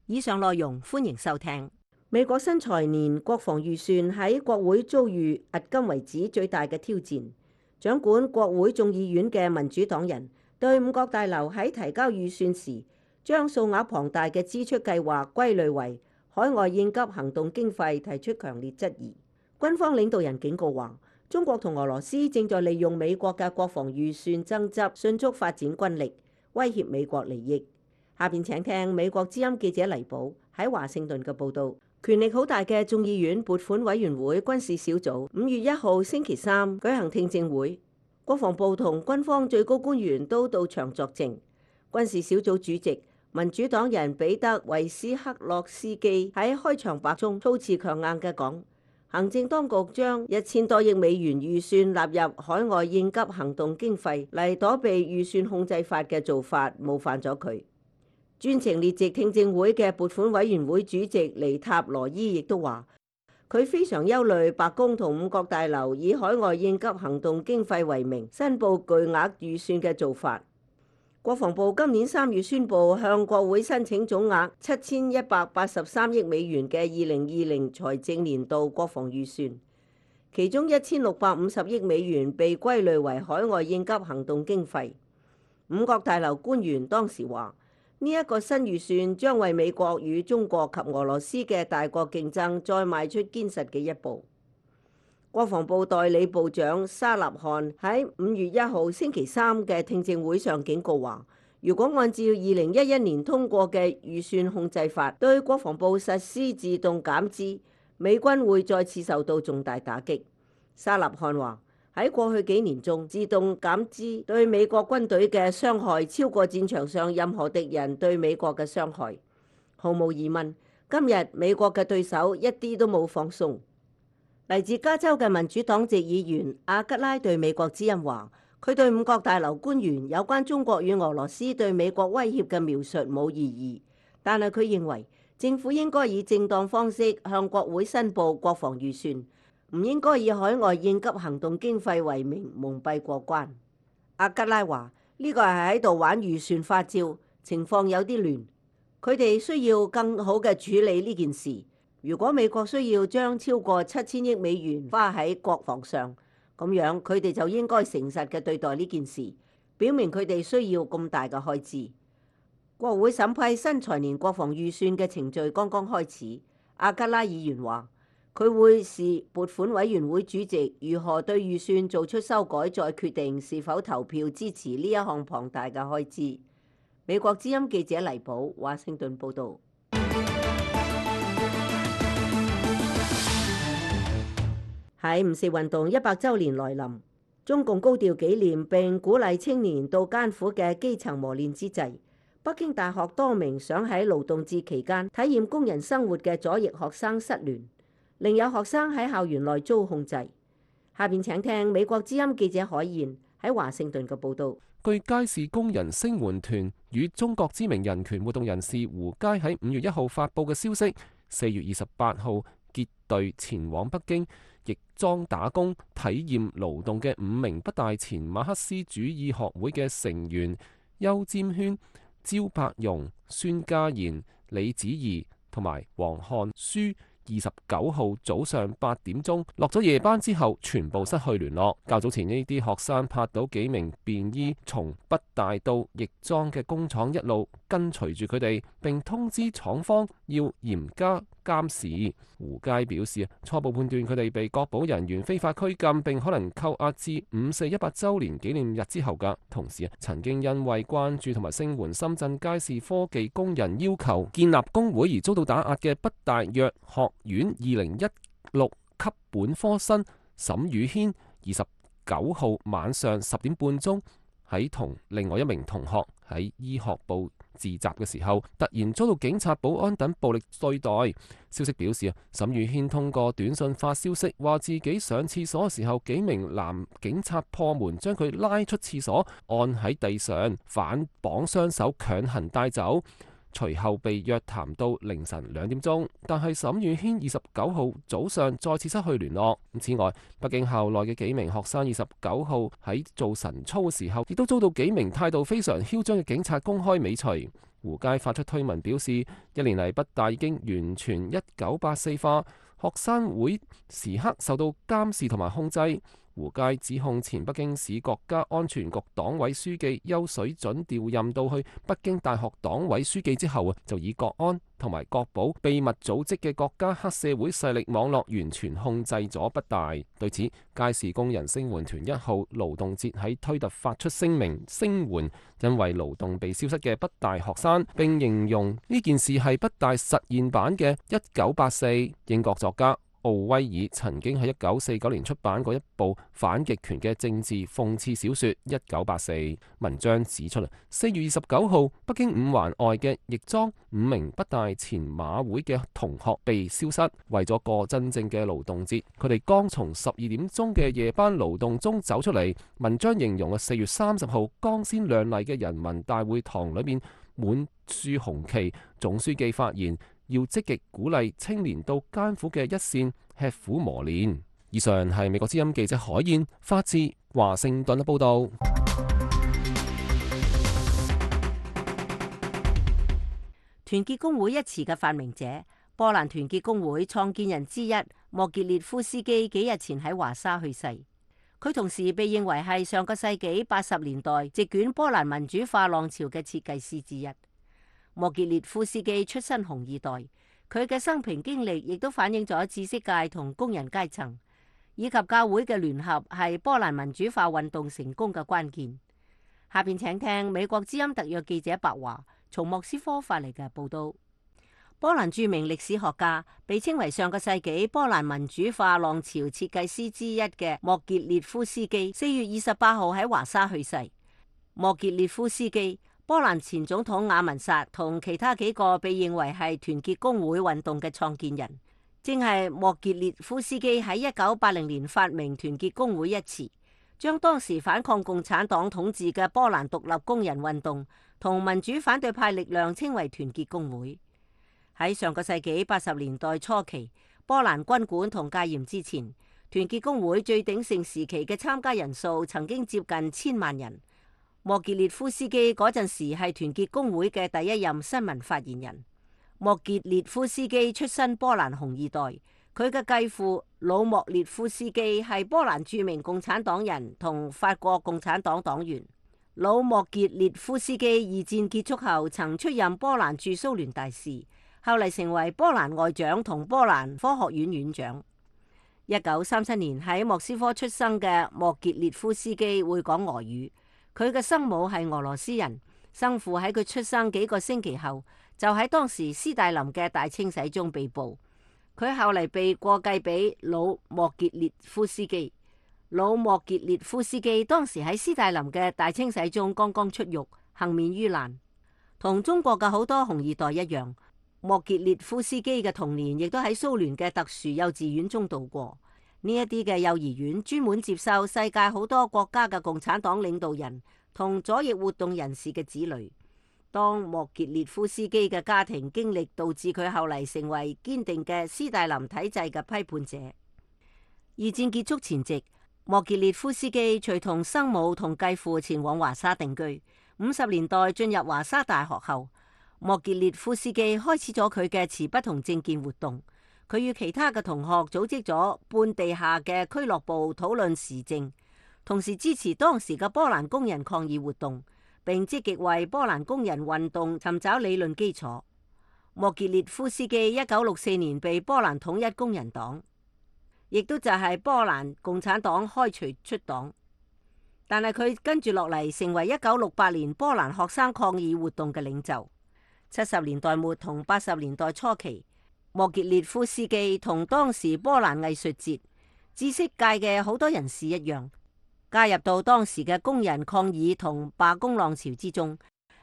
以上內容歡迎收聽。美國新財年國防預算喺國會遭遇迄今為止最大嘅挑戰。掌管國會眾議院嘅民主黨人對五角大樓喺提交預算時，將數額龐大嘅支出計劃歸類為海外應急行動經費，提出強烈質疑。軍方領導人警告話，中國同俄羅斯正在利用美國嘅國防預算爭執，迅速發展軍力，威脅美國利益。下邊請聽美國之音記者黎寶喺華盛頓嘅報導。權力好大嘅眾議院撥款委員會軍事小組五月一號星期三舉行聽證會，國防部同軍方最高官員都到場作證。軍事小組主席民主黨人彼得維斯克洛斯基喺開場白中措辭強硬嘅講，行政當局將一千多億美元預算納入海外應急行動經費嚟躲避預算控制法嘅做法冒犯咗佢。專程列席聽證會嘅撥款委員會主席尼塔羅伊亦都話，佢非常憂慮白宮同五角大樓以海外應急行動經費為名申報巨額預算嘅做法。國防部今年三月宣布向國會申請總額七千一百八十三億美元嘅二零二零財政年度國防預算，其中一千六百五十億美元被歸類為海外應急行動經費。五角大樓官員當時話，呢一個新預算將為美國與中國及俄羅斯嘅大國競爭再邁出堅實嘅一步。國防部代理部長沙納漢喺五月一號星期三嘅聽證會上警告話，如果按照二零一一年通過嘅預算控制法對國防部實施自動減資，美軍會再次受到重大打擊。沙納漢話，喺過去幾年中，自動減資對美國軍隊嘅傷害超過戰場上任何敵人對美國嘅傷害。毫無疑問，今日美國嘅對手一啲都冇放鬆。嚟自加州嘅民主黨籍議員阿吉拉對美國之音話，佢對五角大樓官員有關中國與俄羅斯對美國威脅嘅描述冇異議，但係佢認為政府應該以正當方式向國會申報國防預算，唔應該以海外應急行動經費為名蒙蔽過關。阿吉拉話，呢個係喺度玩預算花招，情況有啲亂，佢哋需要更好嘅處理呢件事。如果美國需要將超過七千億美元花喺國防上，咁樣佢哋就應該誠實嘅對待呢件事，表明佢哋需要咁大嘅開支。國會審批新財年國防預算嘅程序剛剛開始，阿吉拉議員話，佢會視撥款委員會主席如何對預算做出修改，再決定是否投票支持呢一項龐大嘅開支。美國之音記者黎寶華盛頓報導。喺五四運動一百週年來臨，中共高調紀念並鼓勵青年到艱苦嘅基層磨練之際，北京大學多名想喺勞動節期間體驗工人生活嘅左翼學生失聯，另有學生喺校園內遭控制。下邊請聽美國之音記者海燕喺華盛頓嘅報導。據街市工人聲援團與中國知名人權活動人士胡佳喺五月一號發佈嘅消息，四月二十八號結隊前往北京亦裝打工體驗勞動嘅五名北大前馬克思主義學會嘅成員邱占軒、焦伯容、孫家賢、李子怡同埋黃漢書二十九號早上八點鐘落咗夜班之後，全部失去聯絡。較早前呢啲學生拍到幾名便衣從北大到亦莊嘅工廠一路跟隨住佢哋，並通知廠方要嚴加監視。胡佳表示，初步判斷佢哋被確保人員非法拘禁，並可能扣押至五四一百週年紀念日之後㗎。同時，曾經因為關注同埋聲援深圳佳士科技工人要求建立工會而遭到打壓嘅北大藥學院二零一六級本科生沈宇軒，二十九號晚上十點半鐘喺同另外一名同學喺醫學部自習嘅時候，突然遭到警察、保安等暴力對待。消息表示啊，沈宇軒通過短信發消息，話自己上廁所嘅時候，幾名男警察破門將佢拉出廁所，按喺地上，反綁雙手強行帶走。隨後被約談到凌晨兩點鐘，但係沈宇軒二十九號早上再次失去聯絡。此外，北京校內嘅幾名學生二十九號喺做晨操嘅時候，亦都遭到幾名態度非常囂張嘅警察公開尾隨。胡佳發出推文表示，一年嚟北大已經完全一九八四化，學生會時刻受到監視同埋控制。胡佳指控前北京市國家安全局黨委書記邱水準調任到去北京大學黨委書記之後啊，就以國安同埋國保秘密組織嘅國家黑社會勢力網絡完全控制咗北大。對此，佳士工人聲援團一號勞動節喺推特發出聲明聲援因為勞動被消失嘅北大學生，並形容呢件事係北大實驗版嘅一九八四。英國作家奧威爾曾經喺一九四九年出版過一部反極權嘅政治諷刺小說《一九八四》。文章指出啦，四月二十九號，北京五環外嘅亦莊五名北大前馬會嘅同學被消失。為咗過真正嘅勞動節，佢哋剛從十二點鐘嘅夜班勞動中走出嚟。文章形容啊，四月三十號光鮮亮麗嘅人民大會堂裏面滿樹紅旗。總書記發言，要積極鼓勵青年到艱苦嘅一線吃苦磨練。以上係美國之音記者海燕發自華盛頓嘅報道。團結工會一詞嘅發明者，波蘭團結工會創建人之一莫傑列夫斯基幾日前喺華沙去世。佢同時被認為係上個世紀八十年代席捲波蘭民主化浪潮嘅設計師之一。莫傑列夫斯基出身紅二代，佢嘅生平經歷亦都反映咗知識界同工人階層以及教會嘅聯合係波蘭民主化運動成功嘅關鍵。下邊請聽美國之音特約記者白華從莫斯科發嚟嘅報道。波蘭著名歷史學家，被稱為上個世紀波蘭民主化浪潮設計師之一嘅莫傑列夫斯基，四月二十八號喺華沙去世。莫傑列夫斯基，波蘭前總統雅文薩同其他幾個被認為係團結工會運動嘅創建人，正係莫傑列夫斯基喺一九八零年發明團結工會一詞，將當時反抗共產黨統治嘅波蘭獨立工人運動同民主反對派力量稱為團結工會。喺上個世紀八十年代初期，波蘭軍管同戒嚴之前，團結工會最鼎盛時期嘅參加人數曾經接近千萬人。莫傑列夫斯基嗰陣時係團結工會嘅第一任新聞發言人。莫傑列夫斯基出身波蘭紅二代，佢嘅繼父魯莫列夫斯基係波蘭著名共產黨人同法國共產黨黨員。魯莫傑列夫斯基二戰結束後曾出任波蘭駐蘇聯大使，後嚟成為波蘭外長同波蘭科學院院長。一九三七年喺莫斯科出生嘅莫傑列夫斯基會講俄語，佢嘅生母係俄羅斯人，生父喺佢出生幾個星期後就喺當時斯大林嘅大清洗中被捕，佢後嚟被過繼俾魯莫傑列夫斯基。魯莫傑列夫斯基當時喺斯大林嘅大清洗中剛剛出獄，幸免於難。同中國嘅好多紅二代一樣，莫傑列夫斯基嘅童年亦都喺蘇聯嘅特殊幼稚園中度過。呢一啲嘅幼兒園專門接受世界好多國家嘅共產黨領導人同左翼活動人士嘅子女。當莫傑列夫斯基嘅家庭經歷導致佢後嚟成為堅定嘅斯大林體制嘅批判者。二戰結束前夕，莫傑列夫斯基隨同生母同繼父前往華沙定居。五十年代進入華沙大學後，莫傑列夫斯基開始咗佢嘅持不同政見活動。佢與其他嘅同學組織咗半地下嘅俱樂部討論時政，同時支持當時嘅波蘭工人抗議活動，並積極為波蘭工人運動尋找理論基礎。莫傑列夫斯基一九六四年被波蘭統一工人黨，亦都就係波蘭共產黨開除出黨，但係佢跟住落嚟成為一九六八年波蘭學生抗議活動嘅領袖。七十年代末同八十年代初期，莫傑列夫斯基同當時波蘭藝術節、知識界嘅好多人士一樣，加入到當時嘅工人抗議同罷工浪潮之中，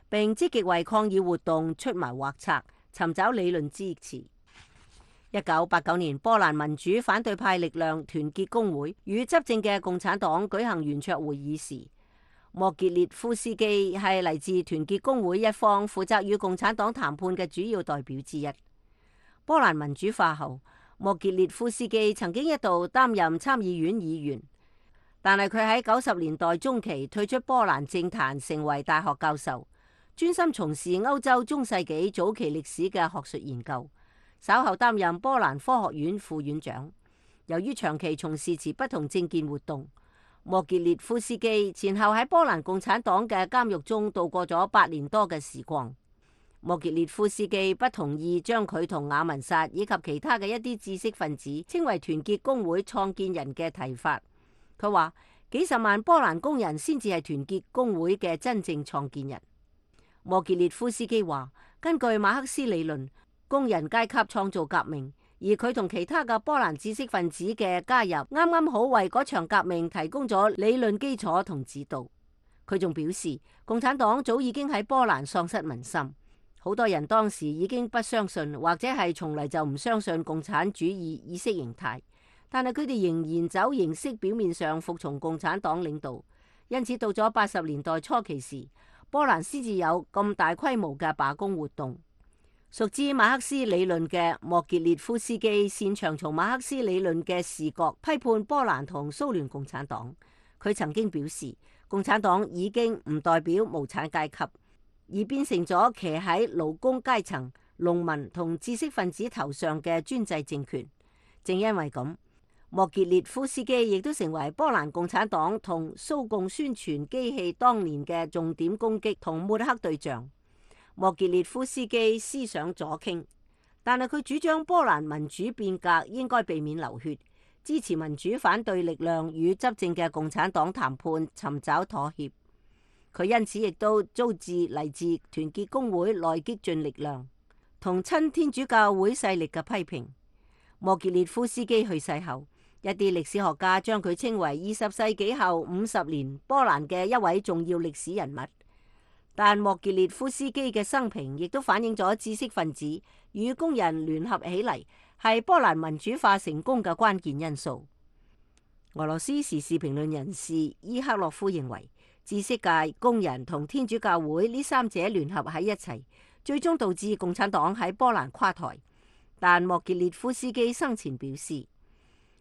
並積極為抗議活動出謀劃策，尋找理論支持。一九八九年，波蘭民主反對派力量團結工會與執政嘅共產黨舉行圓桌會議時，莫傑列夫斯基係嚟自團結工會一方，負責與共產黨談判嘅主要代表之一。波蘭民主化後，莫傑列夫斯基曾經一度擔任參議院議員，但係佢喺九十年代中期退出波蘭政壇，成為大學教授，專心從事歐洲中世紀早期歷史嘅學術研究。稍後擔任波蘭科學院副院長。由於長期從事持不同政見活動，莫傑列夫斯基前後喺波蘭共產黨嘅監獄中度過咗八年多嘅時光。莫傑列夫斯基不同意將佢同雅文薩以及其他嘅一啲知識分子稱為團結工會創建人嘅提法。佢話幾十萬波蘭工人先至係團結工會嘅真正創建人。莫傑列夫斯基話，根據馬克思理論，工人階級創造革命，而佢同其他嘅波蘭知識分子嘅加入，啱啱好為嗰場革命提供咗理論基礎同指導。佢仲表示，共產黨早已經喺波蘭喪失民心，好多人當時已經不相信，或者係從嚟就唔相信共產主義意識形態，但係佢哋仍然走形式表面上服從共產黨領導。因此到咗八十年代初期時，波蘭先至有咁大規模嘅罷工活動。熟知馬克思理論嘅莫傑列夫斯基擅長從馬克思理論嘅視角批判波蘭同蘇聯共產黨。佢曾經表示，共產黨已經唔代表無產階級，而變成咗騎喺勞工階層、農民同知識分子頭上嘅專制政權。正因為咁，莫傑列夫斯基亦都成為波蘭共產黨同蘇共宣傳機器當年嘅重點攻擊同抹黑對象。莫傑列夫斯基思想左傾，但係佢主張波蘭民主變革應該避免流血，支持民主反對力量與執政嘅共產黨談判，尋找妥協。佢因此亦都遭致嚟自團結工會內激進力量同親天主教會勢力嘅批評。莫傑列夫斯基去世後，一啲歷史學家將佢稱為二十世紀後五十年波蘭嘅一位重要歷史人物。但莫傑列夫斯基嘅生平亦都反映咗知識分子與工人聯合起嚟係波蘭民主化成功嘅關鍵因素。俄羅斯時事評論人士伊克洛夫認為，知識界、工人同天主教會呢三者聯合喺一齊，最終導致共產黨喺波蘭垮台。但莫傑列夫斯基生前表示，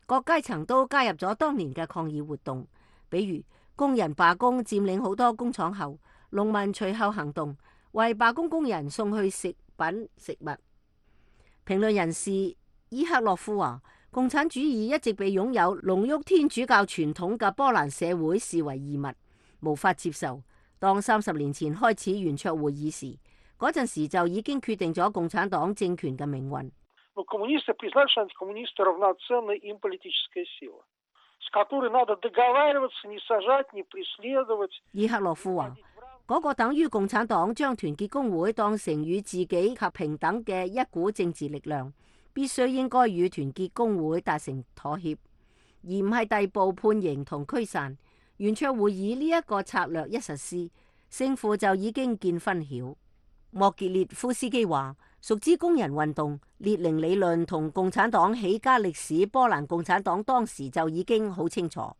各階層都加入咗當年嘅抗議活動，比如工人罷工佔領好多工廠後，農民隨後行動，為罷工工人送去食品食物。評論人士伊克洛夫話，共產主義一直被擁有濃郁天主教傳統嘅波蘭社會視為異物，無法接受。當三十年前開始圓桌會議時，嗰陣時就已經決定咗共產黨政權嘅命運。伊克洛夫話，嗰個等於共產黨將團結工會當成與自己及平等嘅一股政治力量，必須應該與團結工會達成妥協，而唔係逮捕判刑同驅散。圓桌會議呢一個策略一實施，勝負就已經見分曉。莫傑列夫斯基話，熟知工人運動、列寧理論同共產黨起家歷史，波蘭共產黨當時就已經好清楚。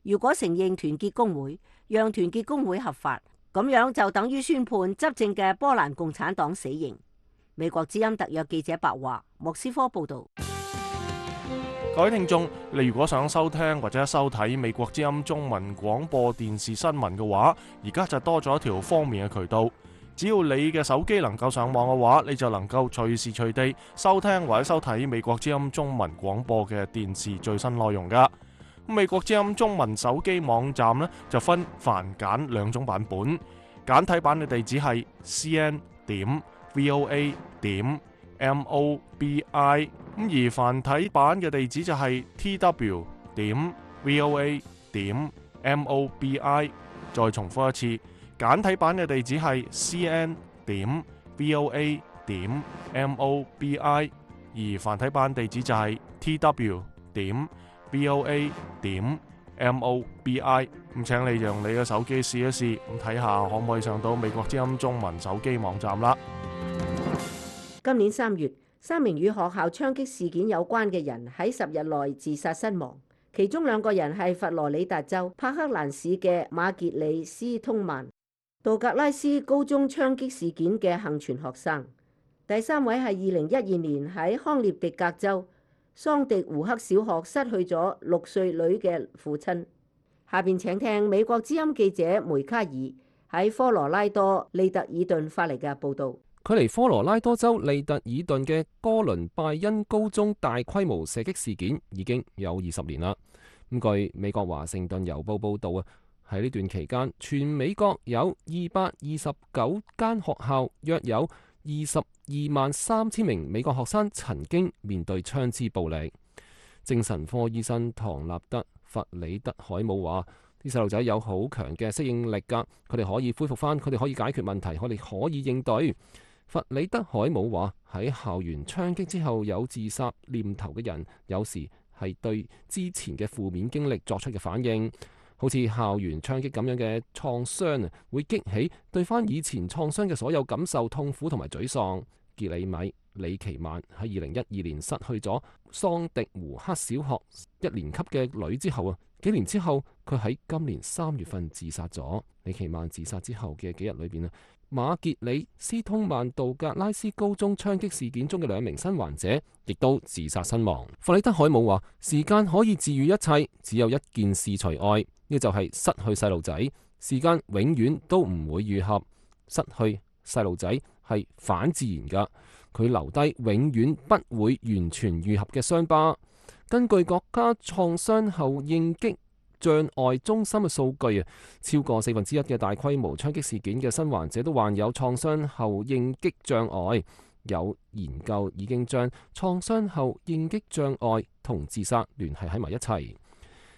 如果承認團結工會，讓團結工會合法，咁樣就等於宣判執政嘅波蘭共產黨死刑。美國之音特約記者白華，莫斯科報道。各位聽眾，你如果想收聽或者收睇美國之音中文廣播電視新聞嘅話，而家就多咗一條方便嘅渠道，只要你嘅手機能夠上網嘅話，你就能夠隨時隨地收聽或者收睇美國之音中文廣播嘅電視最新內容噶。美國之音中文手機網站呢，就分繁簡兩種版本，簡體版嘅地址係 c n 點 v o a 點 m o b i， 咁而繁體版嘅地址就係 t w 點 v o a 點 m o b i。再重複一次，簡體版嘅地址係 c n 點 v o a 點 m o b i， 而繁體版地址就係 t w 點 v o a 點 m o b i。 咁請你用你嘅手機試一試，咁睇下可唔可以上到美國之音中文手機網站啦。今年三月，三名與學校槍擊事件有關嘅人喺十日內自殺身亡，其中兩個人係佛羅里達州帕克蘭市嘅馬傑里斯通曼，道格拉斯高中槍擊事件嘅幸存學生。第三位係二零一二年喺康涅狄格州桑迪胡克小學失去咗六歲女嘅父親。下邊請聽美國之音記者梅卡爾喺科羅拉多利特爾頓發嚟嘅報導。距離科羅拉多州利特爾頓嘅哥倫拜恩高中大規模射擊事件已經有二十年啦。咁據美國華盛頓郵報報導啊，喺呢段期間，全美國有二百二十九間學校，約有二十二萬三千名美國學生曾經面對槍支暴力。精神科醫生唐納德·弗里德海姆話：啲細路仔有好強嘅適應力㗎，佢哋可以恢復返，佢哋可以解決問題，佢哋可以應對。弗里德海姆話：喺校園槍擊之後有自殺念頭嘅人，有時係對之前嘅負面經歷作出嘅反應，好似校園槍擊咁樣嘅創傷啊，會激起對翻以前創傷嘅所有感受、痛苦同埋沮喪。傑里米李奇曼喺二零一二年失去咗桑迪胡克小學一年級嘅女之後啊，幾年之後佢喺今年三月份自殺咗。李奇曼自殺之後嘅幾日裏邊啊，馬傑里斯通曼道格拉斯高中槍擊事件中嘅兩名生還者亦都自殺身亡。弗里德海姆話：時間可以治愈一切，只有一件事除外，呢就係失去細路仔。時間永遠都唔會愈合，失去細路仔係反自然噶，佢留低永遠不會完全愈合嘅傷疤。根據國家創傷後應激障礙中心嘅數據啊，超過四分之一嘅大規模槍擊事件嘅生還者都患有創傷後應激障礙。有研究已經將創傷後應激障礙同自殺聯繫喺埋一齊。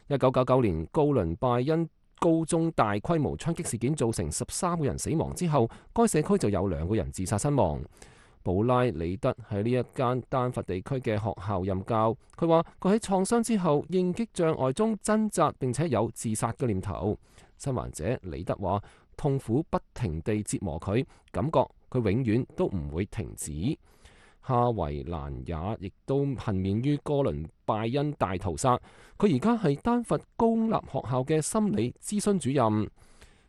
一九九九年高倫拜恩高中大規模槍擊事件造成十三個人死亡之後，該社區就有兩個人自殺身亡。布拉里德喺呢一間丹佛地區嘅學校任教，佢話佢喺創傷之後應激障礙中掙扎，並且有自殺嘅念頭。生還者里德話痛苦不停地折磨佢，感覺佢永遠都唔會停止。夏維蘭也亦都幸免於哥倫拜恩大屠殺，佢而家係丹佛公立學校嘅心理諮詢主任。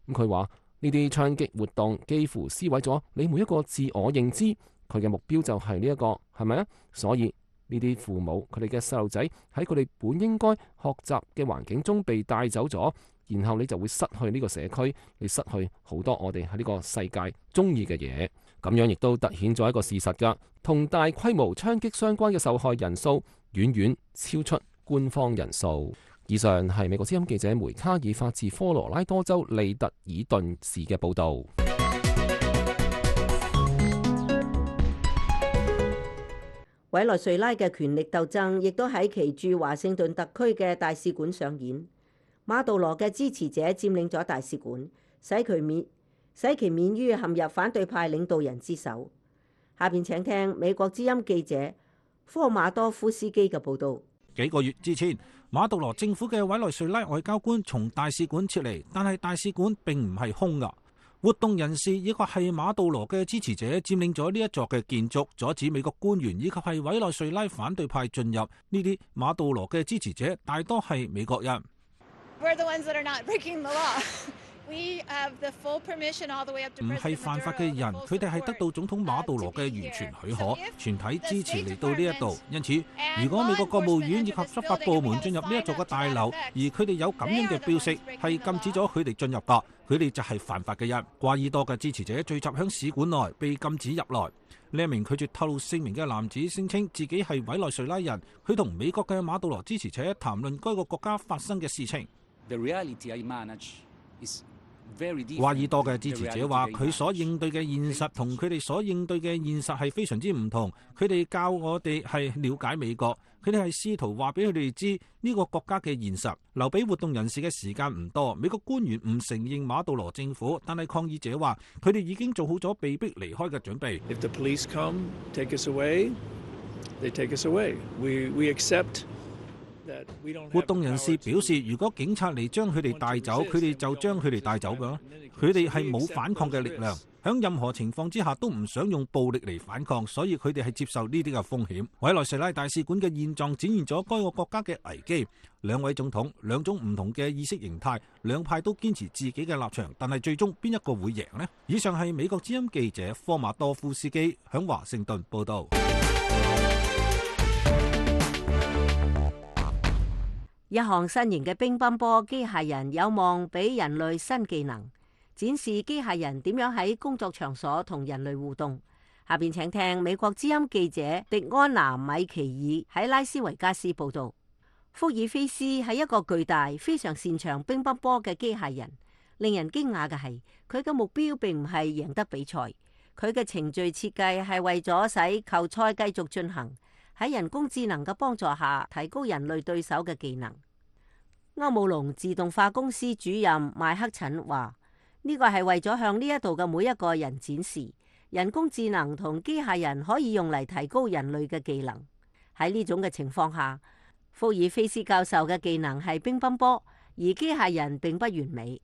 咁佢話呢啲槍擊活動幾乎撕毀咗你每一個自我認知。佢嘅目標就係呢一個，係咪啊？所以呢啲父母佢哋嘅細路仔喺佢哋本應該學習嘅環境中被帶走咗，然後你就會失去呢個社區，你失去好多我哋喺呢個世界中意嘅嘢。咁樣亦都凸顯咗一個事實㗎，同大規模槍擊相關嘅受害人數遠遠超出官方人數。以上係美國之音記者梅卡爾發自科羅拉多州利特爾頓市嘅報導。委內瑞拉嘅權力鬥爭亦都喺其駐華盛頓特區嘅大使館上演。馬杜羅嘅支持者佔領咗大使館，使佢免使其免於陷入反對派領導人之手。下邊請聽美國之音記者科馬多夫斯基嘅報導。幾個月之前，馬杜羅政府嘅委內瑞拉外交官從大使館撤離，但係大使館並唔係空㗎。活動人士以及係馬杜羅嘅支持者佔領咗呢一座嘅建築，阻止美國官員以及係委內瑞拉反對派進入。呢啲馬杜羅嘅支持者大多係美國人。We're the ones that are not breaking the law. 唔係犯法嘅人，佢哋係得到總統馬杜羅嘅完全許可，全體支持嚟到呢一度。因此，如果美國國務院以及執法部門進入呢一座嘅大樓，而佢哋有咁樣嘅標識，係禁止咗佢哋進入㗎，佢哋就係犯法嘅人。瓜伊多嘅支持者聚集響使館內，被禁止入來。呢一名拒絕透露姓名嘅男子聲稱自己係委內瑞拉人，佢同美國嘅馬杜羅支持者談論該個國家發生嘅事情。瓜伊多嘅支持者話：佢所應對嘅現實同佢哋所應對嘅現實係非常之唔同。佢哋教我哋係了解美國，佢哋係試圖話俾佢哋知呢個國家嘅現實。留俾活動人士嘅時間唔多。美國官員唔承認馬杜羅政府，但係抗議者話佢哋已經做好咗被逼離開嘅準備。If the police come, take us away, they take us away. We we accept. 活動人士表示，如果警察嚟將佢哋帶走，佢哋就將佢哋帶走㗎。佢哋係冇反抗嘅力量，喺任何情況之下都唔想用暴力嚟反抗，所以佢哋係接受呢啲嘅風險。委內瑞拉大使館嘅現狀展現咗該個國家嘅危機。兩位總統，兩種唔同嘅意識形態，兩派都堅持自己嘅立場，但係最終邊一個會贏呢？以上係美國之音記者科馬多夫斯基響華盛頓報道。一項新型嘅乒乓波機械人有望俾人類新技能，展示機械人點樣喺工作場所同人類互動。下邊請聽美國之音記者迪安娜米奇爾喺拉斯維加斯報道。福爾菲斯係一個巨大、非常擅長乒乓波嘅機械人。令人驚訝嘅係，佢嘅目標並唔係贏得比賽，佢嘅程序設計係為咗使球賽繼續進行。喺人工智能嘅幫助下，提高人類對手嘅技能。歐姆龍自動化公司主任麥克陳話：呢個係為咗向呢一度嘅每一個人展示，人工智能同機械人可以用嚟提高人類嘅技能。喺呢種嘅情況下，福爾菲斯教授嘅技能係乒乓波，而機械人並不完美。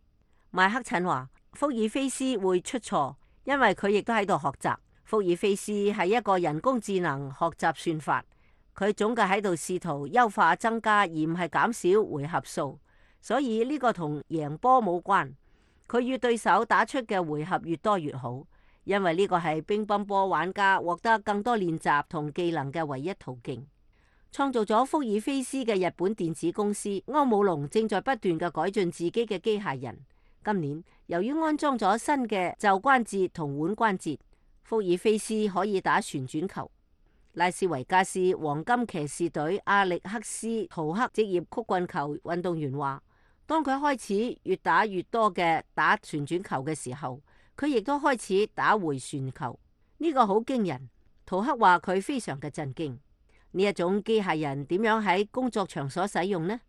麥克陳話：福爾菲斯會出錯，因為佢亦都喺度學習。福爾菲斯係一個人工智能學習算法，佢總計喺度試圖優化增加，而唔係減少回合數。所以呢個同贏波冇關，佢與對手打出嘅回合越多越好，因為呢個係乒乓波玩家獲得更多練習同技能嘅唯一途徑。創造咗福爾菲斯嘅日本電子公司歐姆龍正在不斷嘅改進自己嘅機械人。今年由於安裝咗新嘅袖關節同腕關節，福爾菲斯可以打旋轉球。拉斯維加斯黃金騎士隊阿力克斯圖克職業曲棍球運動員話：當佢開始越打越多嘅打旋轉球嘅時候，佢亦都開始打回旋球。呢個好驚人。圖克話佢非常嘅震驚。呢一種機械人點樣喺工作場所使用呢？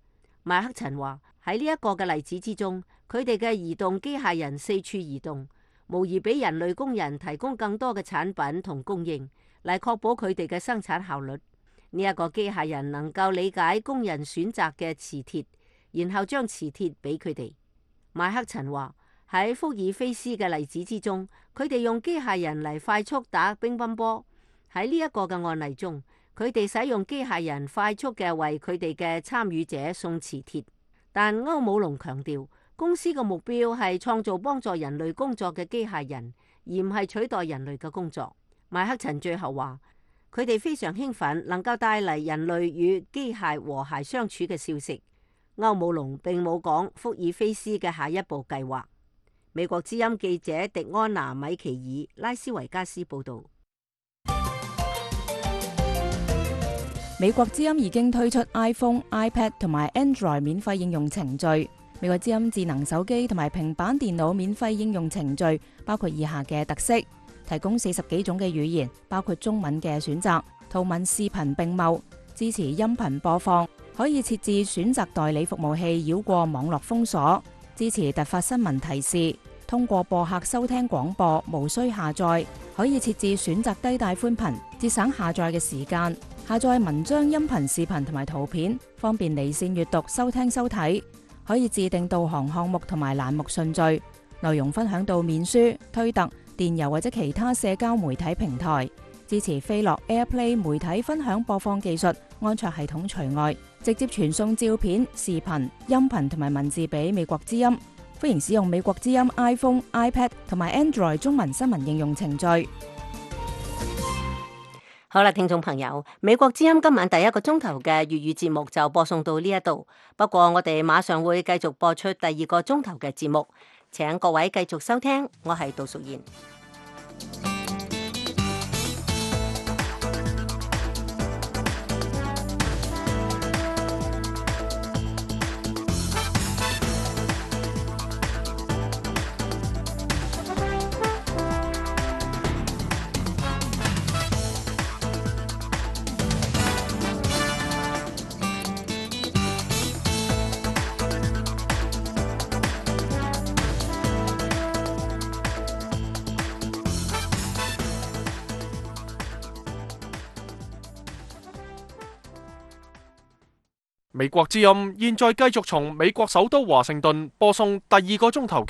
麥克陳話喺呢一個嘅例子之中，佢哋嘅移動機械人四處移動，無疑俾人類工人提供更多嘅產品同供應，嚟確保佢哋嘅生產效率。呢一個機械人能夠理解工人選擇嘅磁鐵，然後將磁鐵俾佢哋。麥克陳話喺福爾菲斯嘅例子之中，佢哋用機械人嚟快速打乒乓波。喺呢一個嘅案例中，佢哋使用機械人快速嘅為佢哋嘅參與者送磁鐵。但歐姆龍強調，公司嘅目標係創造幫助人類工作嘅機械人，而唔係取代人類嘅工作。麥克陳最後話，佢哋非常興奮能夠帶嚟人類與機械和諧相處嘅消息。歐姆龍並冇講福爾菲斯嘅下一步計劃。美國之音記者迪安娜米奇爾拉斯維加斯報道。美國之音已經推出 iPhone、iPad 同埋 Android 免費應用程序。美國之音智能手機同埋平板電腦免費應用程序包括以下嘅特色：提供四十幾種嘅語言，包括中文嘅選擇，圖文視頻並茂，支持音頻播放，可以設置選擇代理服務器繞過網絡封鎖，支持突發新聞提示，通過播客收聽廣播，無需下載，可以設置選擇低帶寬頻，節省下載嘅時間。下載文章、音頻、視頻同埋圖片，方便離線閱讀、收聽、收睇。可以自定導航項目同埋欄目順序，內容分享到面書、推特、電郵或者其他社交媒體平台。支持飛樂 AirPlay 媒體分享播放技術，安卓系統除外。直接傳送照片、視頻、音頻同埋文字俾美國之音。歡迎使用美國之音 iPhone、iPad 同埋 Android 中文新聞應用程序。好啦，聽眾朋友，美國之音今晚第一個鐘頭嘅粵語節目就播送到呢一度。不過我哋馬上會繼續播出第二個鐘頭嘅節目，請各位繼續收聽。我係杜淑賢。美國之音現在繼續從美國首都華盛頓播送第二個鐘頭嘅